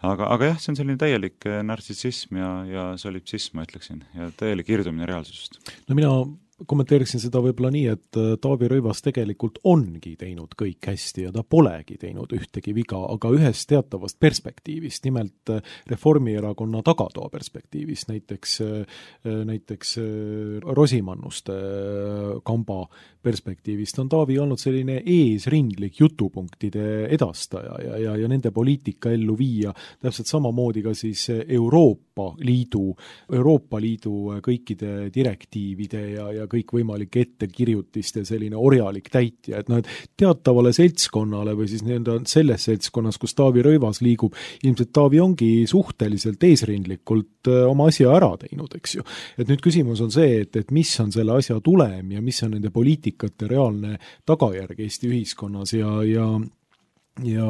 Aga, aga jah, see on selline täielik nartsissism ja, ja solipsism, ma ütleksin, ja täielik irdumine reaalsusest. No mina kommenteeriksin seda võib-olla nii, et Taavi Rõivas tegelikult ongi teinud kõik hästi ja ta polegi teinud ühtegi viga, aga ühest teatavast perspektiivist, nimelt Reformierakonna tagatoa perspektiivist, näiteks, näiteks Rosimannuste kamba perspektiivist on Taavi olnud selline eesrindlik jutupunktide edastaja ja, ja, ja nende poliitika ellu viia täpselt samamoodi ka siis Euroopa Liidu, Euroopa Liidu kõikide direktiivide ja, ja kõikvõimalike ettekirjutiste selline orjalik täitja, et noh, et teatavale seltskonnale või siis nii-öelda selles seltskonnas, kus Taavi Rõivas liigub, ilmselt Taavi ongi suhteliselt eesrindlikult oma asja ära teinud, eks ju. Et nüüd küsimus on see, et, et mis on selle asja tulem ja mis on nende poliitikate reaalne tagajärg Eesti ühiskonnas ja, ja ja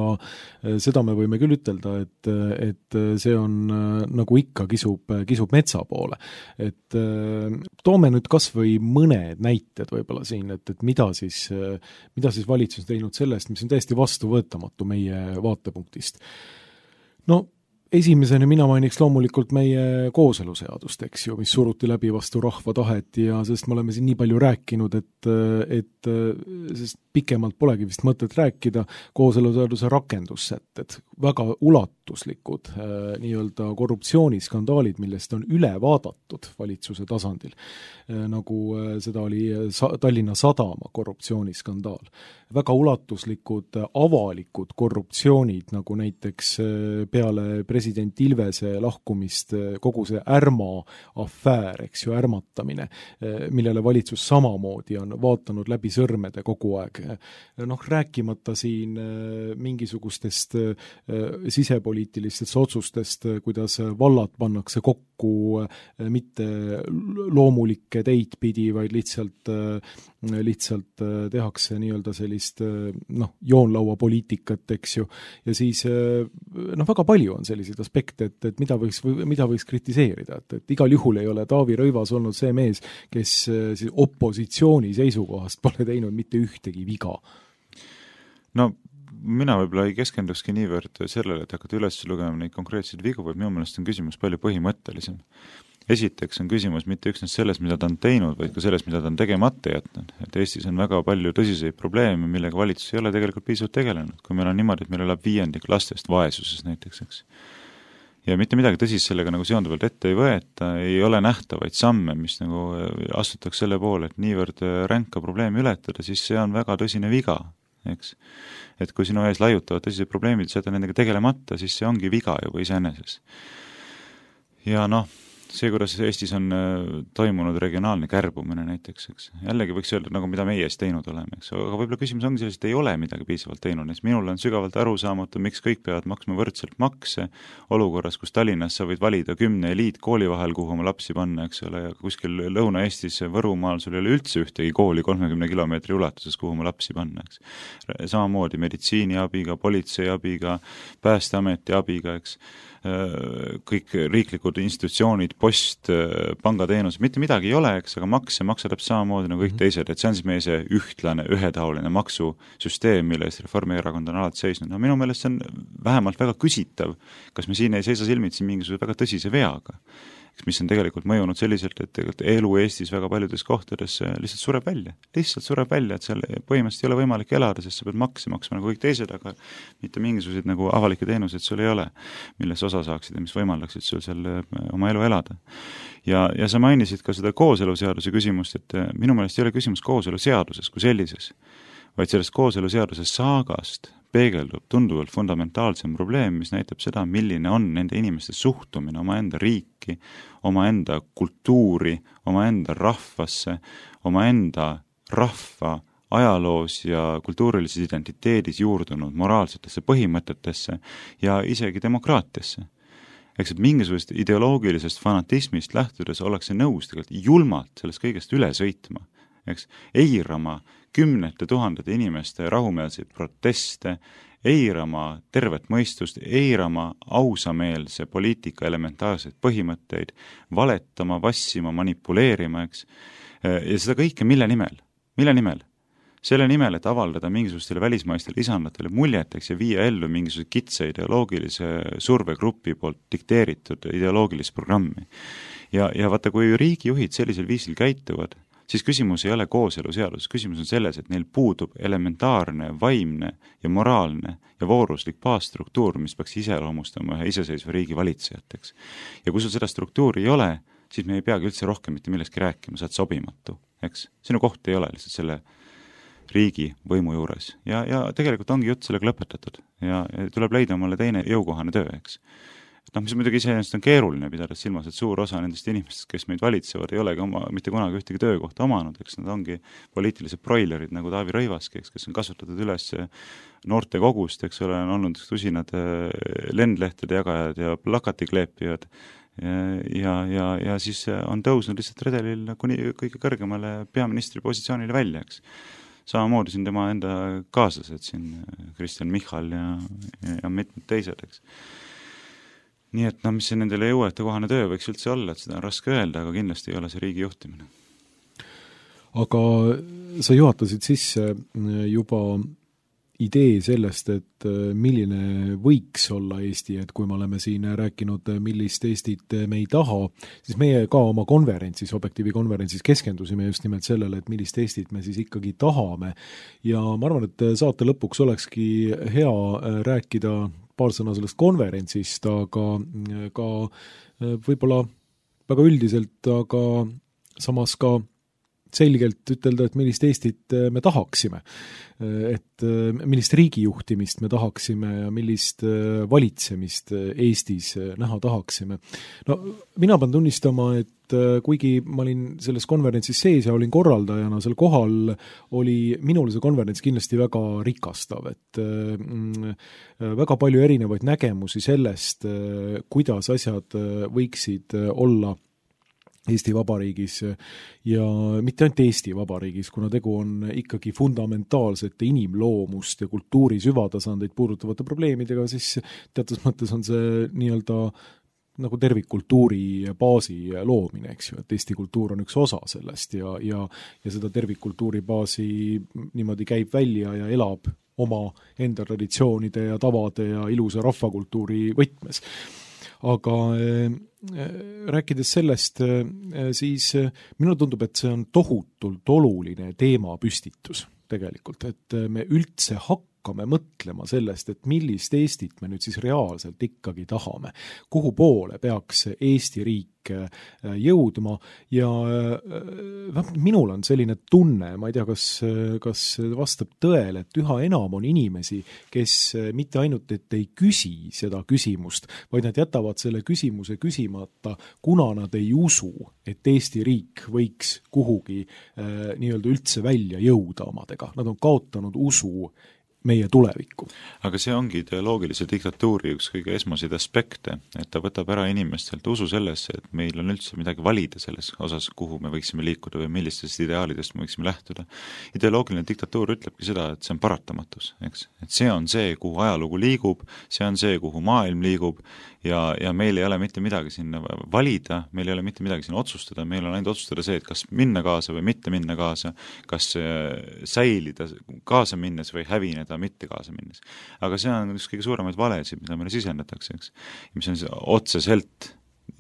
seda me võime küll ütelda, et, et see on nagu ikka kisub, kisub metsa poole. Et toome nüüd kas või mõned näited võib-olla siin, et, et mida siis, mida siis valitsus teinud sellest, mis on täiesti vastuvõetamatu meie vaatepunktist. No esimesena mina mainiks loomulikult meie kooseluseadust, eks ju, mis suruti läbi vastu rahva tahet ja sest me oleme siin nii palju rääkinud, et, et sest pikemalt polegi vist mõtet rääkida, kooseluseaduse rakendussätted, väga ulatuslikud äh, nii-öelda korruptsiooniskandaalid, millest on üle vaadatud valitsuse tasandil, äh, nagu äh, seda oli sa- Tallinna Sadama korruptsiooniskandaal. Väga ulatuslikud äh, avalikud korruptsioonid, nagu näiteks äh, peale president Ilvese lahkumist äh, kogu see ärma afäär, eks ju, ärmatamine, äh, millele valitsus samamoodi on vaatanud läbi sõrmede kogu aeg. Noh, rääkimata siin mingisugustest sisepoliitilistest otsustest, kuidas vallad pannakse kokku mitte loomulikke teid pidi, vaid lihtsalt, lihtsalt tehakse nii-öelda sellist noh, joonlaua poliitikat, eks ju, ja siis noh, väga palju on selliseid aspekte, et, et mida võiks, mida võiks kritiseerida, et, et igal juhul ei ole Taavi Rõivas olnud see mees, kes siis opositsiooni seisukohast pole teinud mitte ühtegi viga. No mina võib-olla ei keskendukski niivõrd sellele, et hakata üles lugema neid konkreetseid vigu, vaid minu meelest on küsimus palju põhimõttelisem. Esiteks on küsimus mitte üksnes selles, mida ta on teinud, vaid ka selles, mida ta on tegemata jätnud. Et Eestis on väga palju tõsiseid probleeme, millega valitsus ei ole tegelikult piisavalt tegelenud. Kui meil on niimoodi, et meil elab viiendik lastest vaesuses näiteks, eks. Ja mitte midagi tõsist sellega nagu seonduvalt ette ei võeta, ei ole nähtavaid samme, mis nagu astutaks selle poole, et niivõrd ränka probleemi ületada, siis see on väga tõsine viga, eks. Et kui sinu ees laiutavad tõsised probleemid, seda nendega tegelemata, siis see ongi viga juba iseeneses. Ja noh, see, kuidas Eestis on toimunud regionaalne kärbumine näiteks, eks. Jällegi võiks öelda, nagu mida meie ees teinud oleme, eks. Aga võib-olla küsimus ongi selles, et ei ole midagi piisavalt teinud. Näiteks minul on sügavalt arusaamatu, miks kõik peavad maksma võrdselt makse olukorras, kus Tallinnas sa võid valida kümne eliit kooli vahel, kuhu oma lapsi panna, eks ole, ja kuskil Lõuna-Eestis Võrumaal sul ei ole üldse ühtegi kooli kolmekümne kilomeetri ulatuses, kuhu oma lapsi panna, eks. Samamoodi meditsiini abiga, politsei abiga, päästeameti abiga, eks. Kõik riiklikud institutsioonid, post, pangateenus, mitte midagi ei ole, eks, aga makse maksab samamoodi nagu kõik teised, et see on siis meie see ühtlane, ühetaoline maksusüsteem, mille eest Reformierakond on alati seisnud. No minu meelest see on vähemalt väga küsitav, kas me siin ei seisa silmitsi mingisuguse väga tõsise veaga, mis on tegelikult mõjunud selliselt, et tegelikult elu Eestis väga paljudes kohtades lihtsalt sureb välja. Lihtsalt sureb välja, et seal põhimõtteliselt ei ole võimalik elada, sest sa pead makse maksma nagu kõik teised, aga mitte mingisuguseid nagu avalikke teenuseid sul ei ole, milles osa saaksid ja mis võimaldaksid sul seal oma elu elada. Ja, ja sa mainisid ka seda kooseluseaduse küsimust, et minu meelest ei ole küsimus kooseluseaduses kui sellises, vaid sellest kooseluseaduse saagast peegeldub tunduvalt fundamentaalsem probleem, mis näitab seda, milline on nende inimeste suhtumine omaenda riiki, omaenda kultuuri, omaenda rahvasse, omaenda rahva ajaloos ja kultuurilises identiteedis juurdunud moraalsetesse põhimõtetesse ja isegi demokraatiasse. Eks et mingisugust ideoloogilisest fanatismist lähtudes ollakse nõus tegelikult julmalt sellest kõigest üle sõitma, eks, eirama kümnete tuhandete inimeste rahumeelseid proteste, eirama tervet mõistust, eirama ausameelse poliitika elementaarseid põhimõtteid, valetama, vassima, manipuleerima, eks. Ja seda kõike mille nimel? Mille nimel? Selle nimel, et avaldada mingisugustele välismaistele isandatele muljeteks ja viia ellu mingisuguse kitsa ideoloogilise survegrupi poolt dikteeritud ideoloogilist programmi. Ja, ja vaata, kui riigijuhid sellisel viisil käituvad, siis küsimus ei ole kooseluseadus, küsimus on selles, et neil puudub elementaarne, vaimne ja moraalne ja vooruslik baasstruktuur, mis peaks iseloomustama ühe iseseisva riigi valitsejateks. Ja kui sul seda struktuuri ei ole, siis me ei peagi üldse rohkem mitte millestki rääkima, sa oled sobimatu, eks. Sinu koht ei ole lihtsalt selle riigi võimu juures. Ja, ja tegelikult ongi jutt sellega lõpetatud ja, ja tuleb leida mulle teine jõukohane töö, eks. Noh, mis muidugi iseenesest on keeruline pidada silmas, et suur osa nendest inimestest, kes meid valitsevad, ei olegi oma, mitte kunagi ühtegi töökohta omanud, eks nad ongi poliitilised broilerid nagu Taavi Rõivaski, eks, kes on kasutatud üles noorte kogust, eks ole, on olnud tusinad lendlehtede jagajad ja plakatikleepijad ja, ja, ja, ja siis on tõusnud lihtsalt redelil kuni kõige kõrgemale peaministri positsioonile välja, eks. Samamoodi siin tema enda kaaslased, siin Kristjan Michal ja, ja, ja mitmed teised, eks. Nii et no, mis see nendele jõuete kohane töö võiks üldse olla, et seda on raske öelda, aga kindlasti ei ole see riigi juhtimine. Aga sa juhatasid sisse juba idee sellest, et milline võiks olla Eesti, et kui me oleme siin rääkinud, millist Eestit me ei taha, siis meie ka oma konverentsis, Objektiivi konverentsis keskendusime just nimelt sellele, et millist Eestit me siis ikkagi tahame. Ja ma arvan, et saate lõpuks olekski hea rääkida paar sõna sellest konverentsist, aga ka võib-olla väga üldiselt, aga samas ka selgelt ütelda, et millist Eestit me tahaksime. Et millist riigijuhtimist me tahaksime ja millist valitsemist Eestis näha tahaksime. No mina pean tunnistama, et et kuigi ma olin selles konverentsis sees ja olin korraldajana seal kohal, oli minule see konverents kindlasti väga rikastav, et mm, väga palju erinevaid nägemusi sellest, kuidas asjad võiksid olla Eesti Vabariigis ja mitte ainult Eesti Vabariigis, kuna tegu on ikkagi fundamentaalsete inimloomust ja kultuuri süvatasandeid puudutavate probleemidega, siis teatud mõttes on see nii-öelda nagu tervikkultuuri baasi loomine, eks ju, et Eesti kultuur on üks osa sellest ja, ja, ja seda tervikkultuuri baasi niimoodi käib välja ja elab oma enda traditsioonide ja tavade ja ilusa rahvakultuuri võtmes. Aga äh, rääkides sellest, äh, siis äh, minule tundub, et see on tohutult oluline teemapüstitus tegelikult, et me üldse hakkame mõtlema sellest, et millist Eestit me nüüd siis reaalselt ikkagi tahame, kuhu poole peaks Eesti riik jõudma ja minul on selline tunne, ma ei tea, kas, kas vastab tõele, et üha enam on inimesi, kes mitte ainult, et ei küsi seda küsimust, vaid nad jätavad selle küsimuse küsimata, kuna nad ei usu, et Eesti riik võiks kuhugi äh, nii-öelda üldse välja jõuda omadega. Nad on kaotanud usu meie tulevikku. Aga see ongi ideoloogilise diktatuuri üks kõige esmaseid aspekte, et ta võtab ära inimestelt usu sellesse, et meil on üldse midagi valida selles osas, kuhu me võiksime liikuda või millistest ideaalidest me võiksime lähtuda. Ideoloogiline diktatuur ütlebki seda, et see on paratamatus, eks? Et see on see, kuhu ajalugu liigub, see on see, kuhu maailm liigub ja, ja meil ei ole mitte midagi sinna valida, meil ei ole mitte midagi sinna otsustada, meil on ainult otsustada see, et kas minna kaasa või mitte minna kaasa, kas säilida kaasa minnes või hävineda mitte kaasa minnes. Aga see on üks kõige suuremaid valesid, mida meile sisendatakse, eks? Mis on otseselt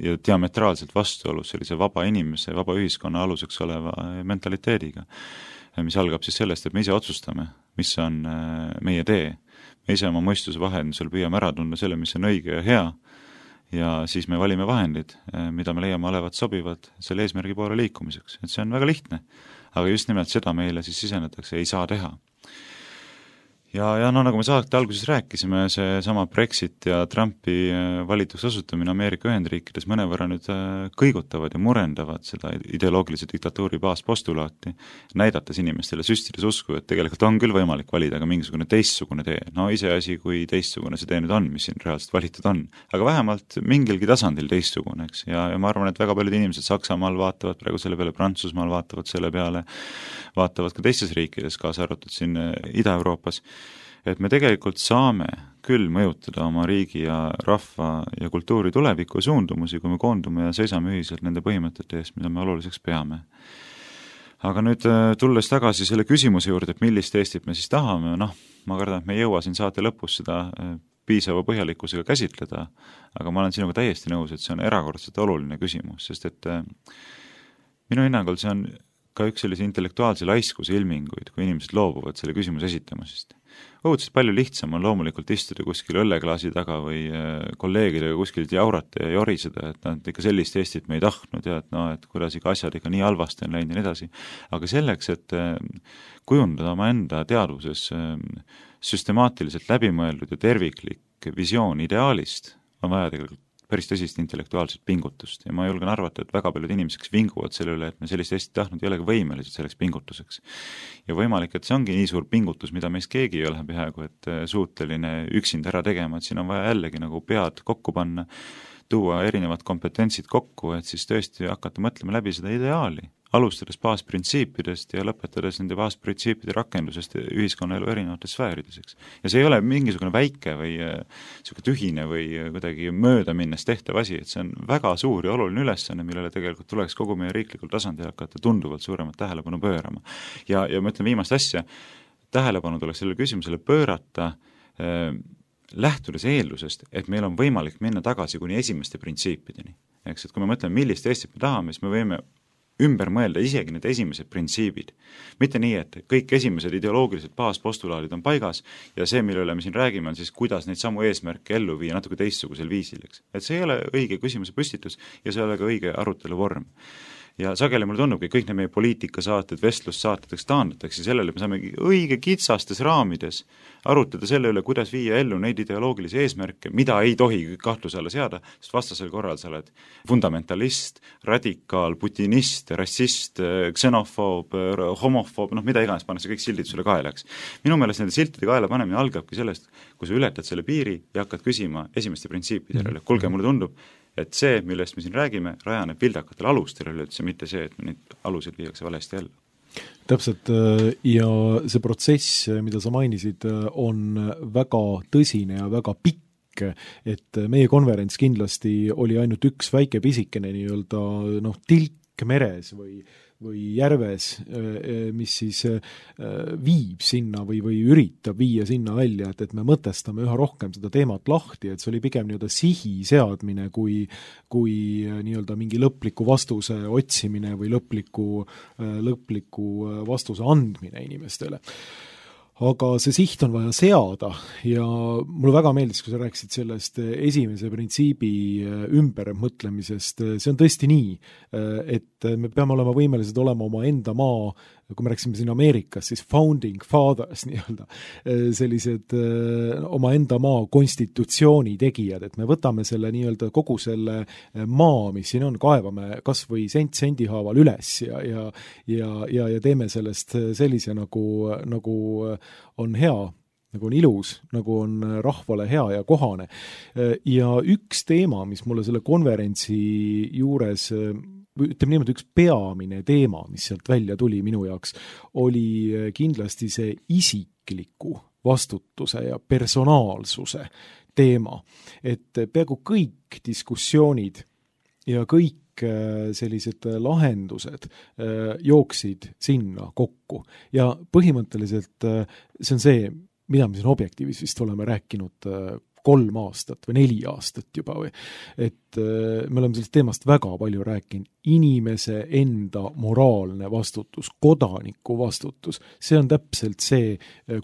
ja diametraalselt vastuolus sellise vaba inimese, vaba ühiskonna aluseks oleva mentaliteediga, mis algab siis sellest, et me ise otsustame, mis on meie tee. Me ise oma mõistuse vahendusel püüame ära tunda selle, mis on õige ja hea, ja siis me valime vahendid, mida me leiame olevat sobivad selle eesmärgi poole liikumiseks. Et see on väga lihtne, aga just nimelt seda meile siis sisendatakse, ei saa teha. Ja, ja no nagu me saate alguses rääkisime, see sama Brexit ja Trumpi valituks osutumine Ameerika Ühendriikides mõnevõrra nüüd kõigutavad ja murendavad seda ideoloogilise diktatuuri baaspostulaati, näidates inimestele süstides usku, et tegelikult on küll võimalik valida ka mingisugune teistsugune tee. No iseasi, kui teistsugune see tee nüüd on, mis siin reaalselt valitud on. Aga vähemalt mingilgi tasandil teistsugune, eks? Ja, ja ma arvan, et väga paljud inimesed Saksamaal vaatavad praegu selle peale, Prantsusmaal vaatavad selle peale, vaatavad ka teistes riikides, kaasa arvatud siin Ida-Euroopas, et me tegelikult saame küll mõjutada oma riigi ja rahva ja kultuuri tuleviku suundumusi, kui me koondume ja seisame ühiselt nende põhimõtete eest, mida me oluliseks peame. Aga nüüd tulles tagasi selle küsimuse juurde, et millist Eestit me siis tahame, noh, ma kardan, et me ei jõua siin saate lõpus seda piisava põhjalikkusega käsitleda, aga ma olen sinuga täiesti nõus, et see on erakordselt oluline küsimus, sest et minu hinnangul see on ka üks sellise intellektuaalse laiskuse ilminguid, kui inimesed loobuvad selle küsimuse esitamisest. Õudselt palju lihtsam on loomulikult istuda kuskil õlleklaasi taga või kolleegidega kuskilt jaurata ja joriseda, et nad ikka sellist Eestit me ei tahtnud ja et, no, et kuidas ikka asjad ikka nii halvasti on läinud ja nii edasi. Aga selleks, et kujundada oma enda teadvuses süstemaatiliselt läbimõeldud ja terviklik visioon ideaalist, on vaja tegelikult päris tõsist intellektuaalset pingutust ja ma julgen arvata, et väga paljud inimesed, kes vinguvad selle üle, et me sellist Eestit tahtnud, ei olegi võimelised selleks pingutuseks. Ja võimalik, et see ongi nii suur pingutus, mida meist keegi ei ole peaaegu, et suuteline üksinda ära tegema, et siin on vaja jällegi nagu pead kokku panna, tuua erinevad kompetentsid kokku, et siis tõesti hakata mõtlema läbi seda ideaali, alustades baasprintsiipidest ja lõpetades nende baasprintsiipide rakendusest ühiskonnaelu erinevates sfäärideseks. Ja see ei ole mingisugune väike või selline tühine või kuidagi mööda minnes tehtav asi, et see on väga suur ja oluline ülesanne, millele tegelikult tuleks kogu meie riiklikul tasandil hakata tunduvalt suuremat tähelepanu pöörama. Ja, ja ma ütlen viimast asja, tähelepanu tuleks sellele küsimusele pöörata äh, lähtudes eeldusest, et meil on võimalik minna tagasi kuni esimeste printsiipideni. Eks, et kui me mõtleme, millist Eestit me tahame, siis me võime ümber mõelda isegi need esimesed printsiibid. Mitte nii, et kõik esimesed ideoloogilised baaspostulaadid on paigas ja see, mille üle me siin räägime, on siis, kuidas neid samu eesmärke ellu viia natuke teistsugusel viisil. Eks. Et see ei ole õige küsimuse püstitus ja see ei ole ka õige arutelu vorm. ja sageli mulle tundubki, kõik need meie poliitikasaated, vestlussaated, eks taandatakse sellele, me saame õige kitsastes raamides arutada selle üle, kuidas viia ellu neid ideoloogilisi eesmärke, mida ei tohi kahtluse alla seada, sest vastasel korral sa oled fundamentalist, radikaal, putinist, rassist, ksenofoob, homofoob, noh, mida iganes pannakse kõik sildid sulle kaelaks. Minu meelest nende siltide kaela panemine algabki sellest, kui sa ületad selle piiri ja hakkad küsima esimeste printsiipide järele. Kulge, mulle tundub, et see, millest me siin räägime, rajaneb vildakatel alustel üldse, mitte see, et neid aluseid viiakse valesti ellu. Täpselt, ja see protsess, mida sa mainisid, on väga tõsine ja väga pikk, et meie konverents kindlasti oli ainult üks väike pisikene nii-öelda noh, tilk meres või või järves, mis siis viib sinna või, või üritab viia sinna välja, et, et me mõtestame üha rohkem seda teemat lahti, et see oli pigem nii-öelda sihi seadmine kui, kui nii-öelda mingi lõpliku vastuse otsimine või lõpliku, lõpliku vastuse andmine inimestele. Aga see siht on vaja seada ja mulle väga meeldis, kui sa rääkisid sellest esimese printsiibi ümbermõtlemisest, see on tõesti nii, et me peame olema võimelised olema oma enda maa, kui me rääksime siin Ameerikas, siis founding fathers nii-öelda, sellised oma enda maa konstitutsiooni tegijad, et me võtame selle nii-öelda kogu selle maa, mis siin on, kaevame kas või sent sendi haaval üles ja, ja, ja, ja, ja teeme sellest sellise nagu, nagu on hea, nagu on ilus, nagu on rahvale hea ja kohane. Ja üks teema, mis mulle selle konverentsi juures ütleme niimoodi, üks peamine teema, mis sealt välja tuli minu jaoks, oli kindlasti see isikliku vastutuse ja personaalsuse teema. Et peaaegu kõik diskussioonid ja kõik sellised lahendused jooksid sinna kokku. Ja põhimõtteliselt see on see, mida me siin objektiivis vist oleme rääkinud kolm aastat või neli aastat juba või, et me oleme sellest teemast väga palju rääkinud, inimese enda moraalne vastutus, kodaniku vastutus, see on täpselt see,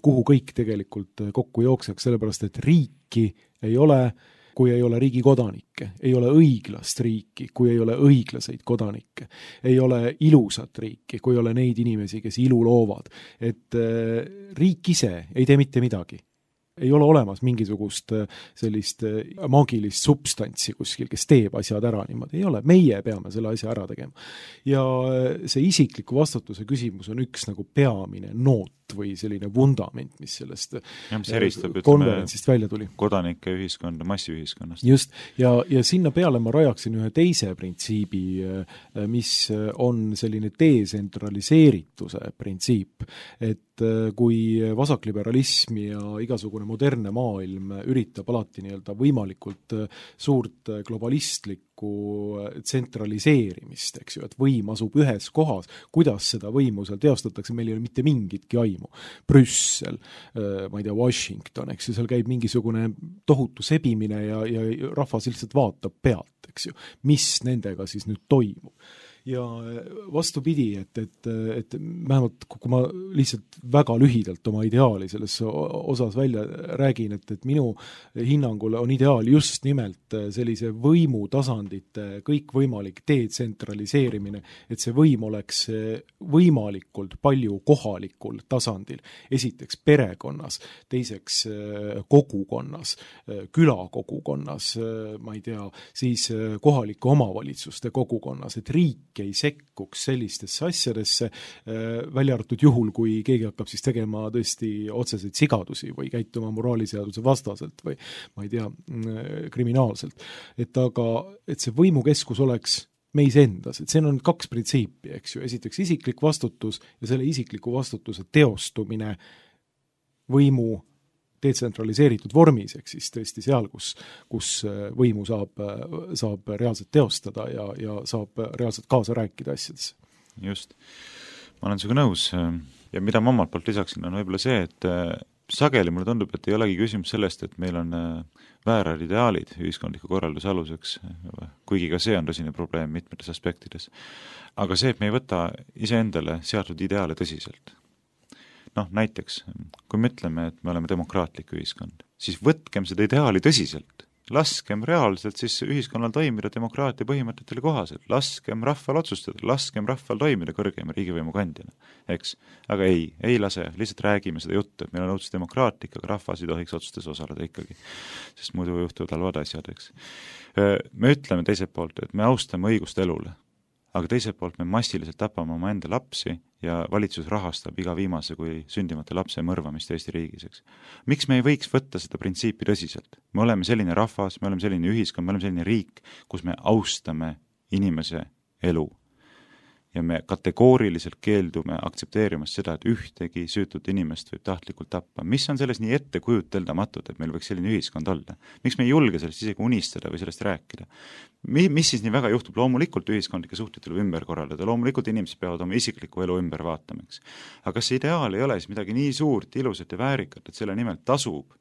kuhu kõik tegelikult kokku jookseks, sellepärast et riiki ei ole, kui ei ole riigi kodanikke, ei ole õiglast riiki, kui ei ole õiglaseid kodanikke, ei ole ilusat riiki, kui ei ole neid inimesi, kes ilu loovad, et riik ise ei tee mitte midagi. Ei ole olemas mingisugust sellist maagilist substantsi kuskil, kes teeb asjad ära niimoodi. Ei ole, meie peame selle asja ära tegema. Ja see isikliku vastutuse küsimus on üks nagu peamine noot või selline vundament, mis sellest ja, mis eristab, konverentsist ütleme, välja tuli. Kodanike ühiskonda, massiühiskonnast. Just, ja, ja sinna peale ma rajaksin ühe teise printsiibi, mis on selline detsentraliseerituse printsiip, et kui vasakliberalism ja igasugune modernne maailm üritab alati nii-öelda võimalikult suurt globalistlikku tsentraliseerimist, eks ju, et võim asub ühes kohas, kuidas seda võimu seal teostatakse, meil ei ole mitte mingitki aimu. Brüssel, ma ei tea, Washington, eks ju, seal käib mingisugune tohutu sebimine ja, ja rahvas lihtsalt vaatab pealt, eks ju, mis nendega siis nüüd toimub. Ja vastupidi, et, et, et vähemalt kui ma lihtsalt väga lühidalt oma ideaali selles osas välja räägin, et, et minu hinnangul on ideaal just nimelt sellise võimutasandite kõikvõimalik detsentraliseerimine, et see võim oleks võimalikult palju kohalikul tasandil. Esiteks perekonnas, teiseks kogukonnas, külakogukonnas, ma ei tea, siis kohalike omavalitsuste kogukonnas, et riik ei sekkuks sellistesse asjadesse, välja arvatud juhul, kui keegi hakkab siis tegema tõesti otseseid sigadusi või käituma moraaliseaduse vastaselt või ma ei tea, kriminaalselt. Et aga, et see võimukeskus oleks meis endas, et see on kaks printsiipi, eks ju, esiteks isiklik vastutus ja selle isikliku vastutuse teostumine võimu detsentraliseeritud vormis, ehk siis tõesti seal, kus, kus võimu saab, saab reaalselt teostada ja, ja saab reaalselt kaasa rääkida asjadesse. Just. Ma olen sinuga nõus ja mida ma omalt poolt lisaksin on võib-olla see, et sageli mulle tundub, et ei olegi küsimus sellest, et meil on väärad ideaalid ühiskondliku korralduse aluseks, kuigi ka see on tõsine probleem mitmetes aspektides. Aga see, et me ei võta iseendale seatud ideaale tõsiselt. Noh, näiteks, kui me ütleme, et me oleme demokraatlik ühiskond, siis võtkem seda ideaali tõsiselt. laskem reaalselt siis ühiskonnal toimida demokraatia põhimõtetele kohaselt, laskem rahval otsustada, laskem rahval toimida kõrgeima riigivõimu kandjana, eks. Aga ei, ei lase, lihtsalt räägime seda juttu, et meil on õudselt demokraatlik, aga rahvas ei tohiks otsustes osaleda ikkagi, sest muidu juhtuvad halvad asjad, eks. Me ütleme teiselt poolt, et me austame õigust elule, aga teiselt poolt me massiliselt tapame oma enda lapsi ja valitsus rahastab iga viimase kui sündimata lapse mõrvamist Eesti riigis, eks. Miks me ei võiks võtta seda printsiipi tõsiselt? Me oleme selline rahvas, me oleme selline ühiskond, me oleme selline riik, kus me austame inimese elu. Ja me kategooriliselt keeldume aktsepteerimast seda, et ühtegi süütut inimest võib tahtlikult tappa. Mis on selles nii ette kujuteldamatut, et meil võiks selline ühiskond olla? Miks me ei julge sellest isegi unistada või sellest rääkida? Mi, mis siis nii väga juhtub? Loomulikult ühiskondlike suhted tuleb ümber korraldada, loomulikult inimesed peavad oma isiklikku elu ümber vaatamaks. Aga kas see ideaal ei ole siis midagi nii suurt, ilusat ja väärikat, et selle nimel tasub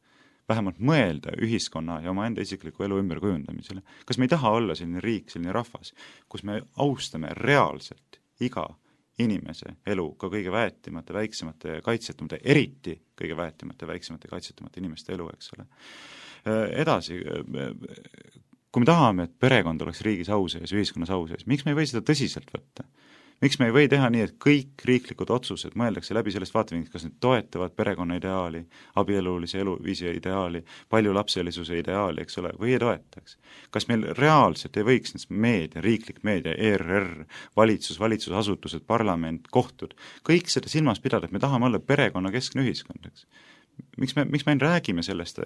vähemalt mõelda ühiskonna ja oma enda isikliku elu ümber kujundamisele? Kas me ei taha olla selline riik, selline rahvas, kus me austame reaalselt iga inimese elu, ka kõige väetimate, väiksemate ja kaitsetumate, eriti kõige väetimate, väiksemate ja kaitsetumate inimeste elu, eks ole. Edasi, kui me tahame, et perekond oleks riigis au sees, ühiskonnas au sees, miks me ei või seda tõsiselt võtta? Miks me ei või teha nii, et kõik riiklikud otsused mõeldakse läbi sellest vaatevinklist, kas need toetavad perekonna ideaali, abielulise eluviisi ideaali, paljulapselisuse ideaali, eks ole, või ei toetaks? Kas meil reaalselt ei võiks need meedia, riiklik meedia, E R R, valitsus, valitsusasutused, parlament, kohtud, kõik seda silmas pidada, et me tahame olla perekonna keskne ühiskond, eks? Miks me, miks me räägime sellest,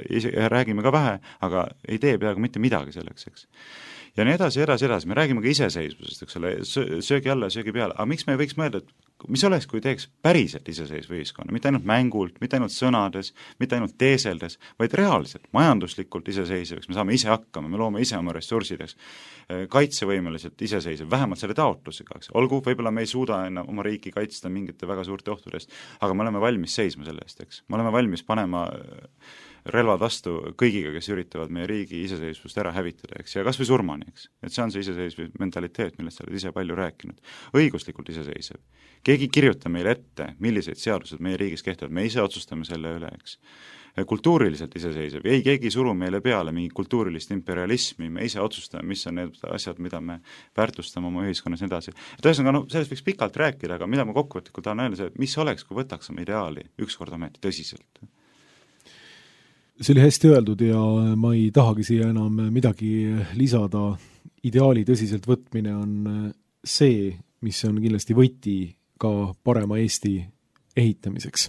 räägime ka vähe, aga ei tee peaaegu mitte midagi selleks, eks? Ja nii edasi, edasi, edasi, me räägime ka iseseisvusest, eks ole, söögi alla ja söögi peale, aga miks me ei võiks mõelda, et mis oleks, kui teeks päriselt iseseisva ühiskonna, mitte ainult mängult, mitte ainult sõnades, mitte ainult teeseldes, vaid reaalselt, majanduslikult iseseisvaks, me saame ise hakkama, me loome ise oma ressursideks, kaitsevõimeliselt iseseisev, vähemalt selle taotlusega, eks. Olgu, võib-olla me ei suuda enam oma riiki kaitsta mingite väga suurte ohtudest, aga me oleme valmis seisma selle eest, eks. Me oleme valmis panema relvad vastu kõigiga, kes üritavad meie riigi iseseisvust ära hävitada, eks, ja kas või surmani, eks. Et see on see iseseisv mentaliteet, millest sa oled ise palju rääkinud. Õiguslikult iseseisev. Keegi kirjuta meile ette, millised seadused meie riigis kehtivad, me ise otsustame selle üle, eks. Kultuuriliselt iseseisev. Ei, keegi suru meile peale mingi kultuurilist imperialismi, me ise otsustame, mis on need asjad, mida me väärtustame oma ühiskonnas edasi. Et ühesõnaga, no, sellest võiks pikalt rääkida, aga mida ma kokkuvõtlikult tahan öelda, see, mis oleks, kui võtaks oma ideaali ükskord ometi tõsiselt? See oli hästi öeldud ja ma ei tahagi siia enam midagi lisada. Ideaali tõsiselt võtmine on see, mis on kindlasti võti ka parema Eesti ehitamiseks.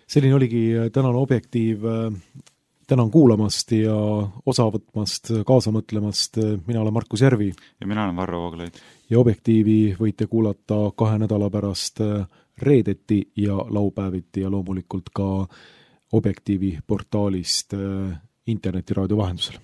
Selline oligi tänane Objektiiv. Tänan kuulamast ja osa võtmast, kaasa mõtlemast. Mina olen Markus Järvi. Ja mina olen Varro Vooglaid. Ja Objektiivi võite kuulata kahe nädala pärast reedeti ja laupäeviti ja loomulikult ka Objektiivi portaalist internetiraadio vahendusel.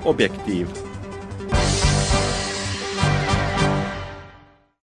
Objektiiv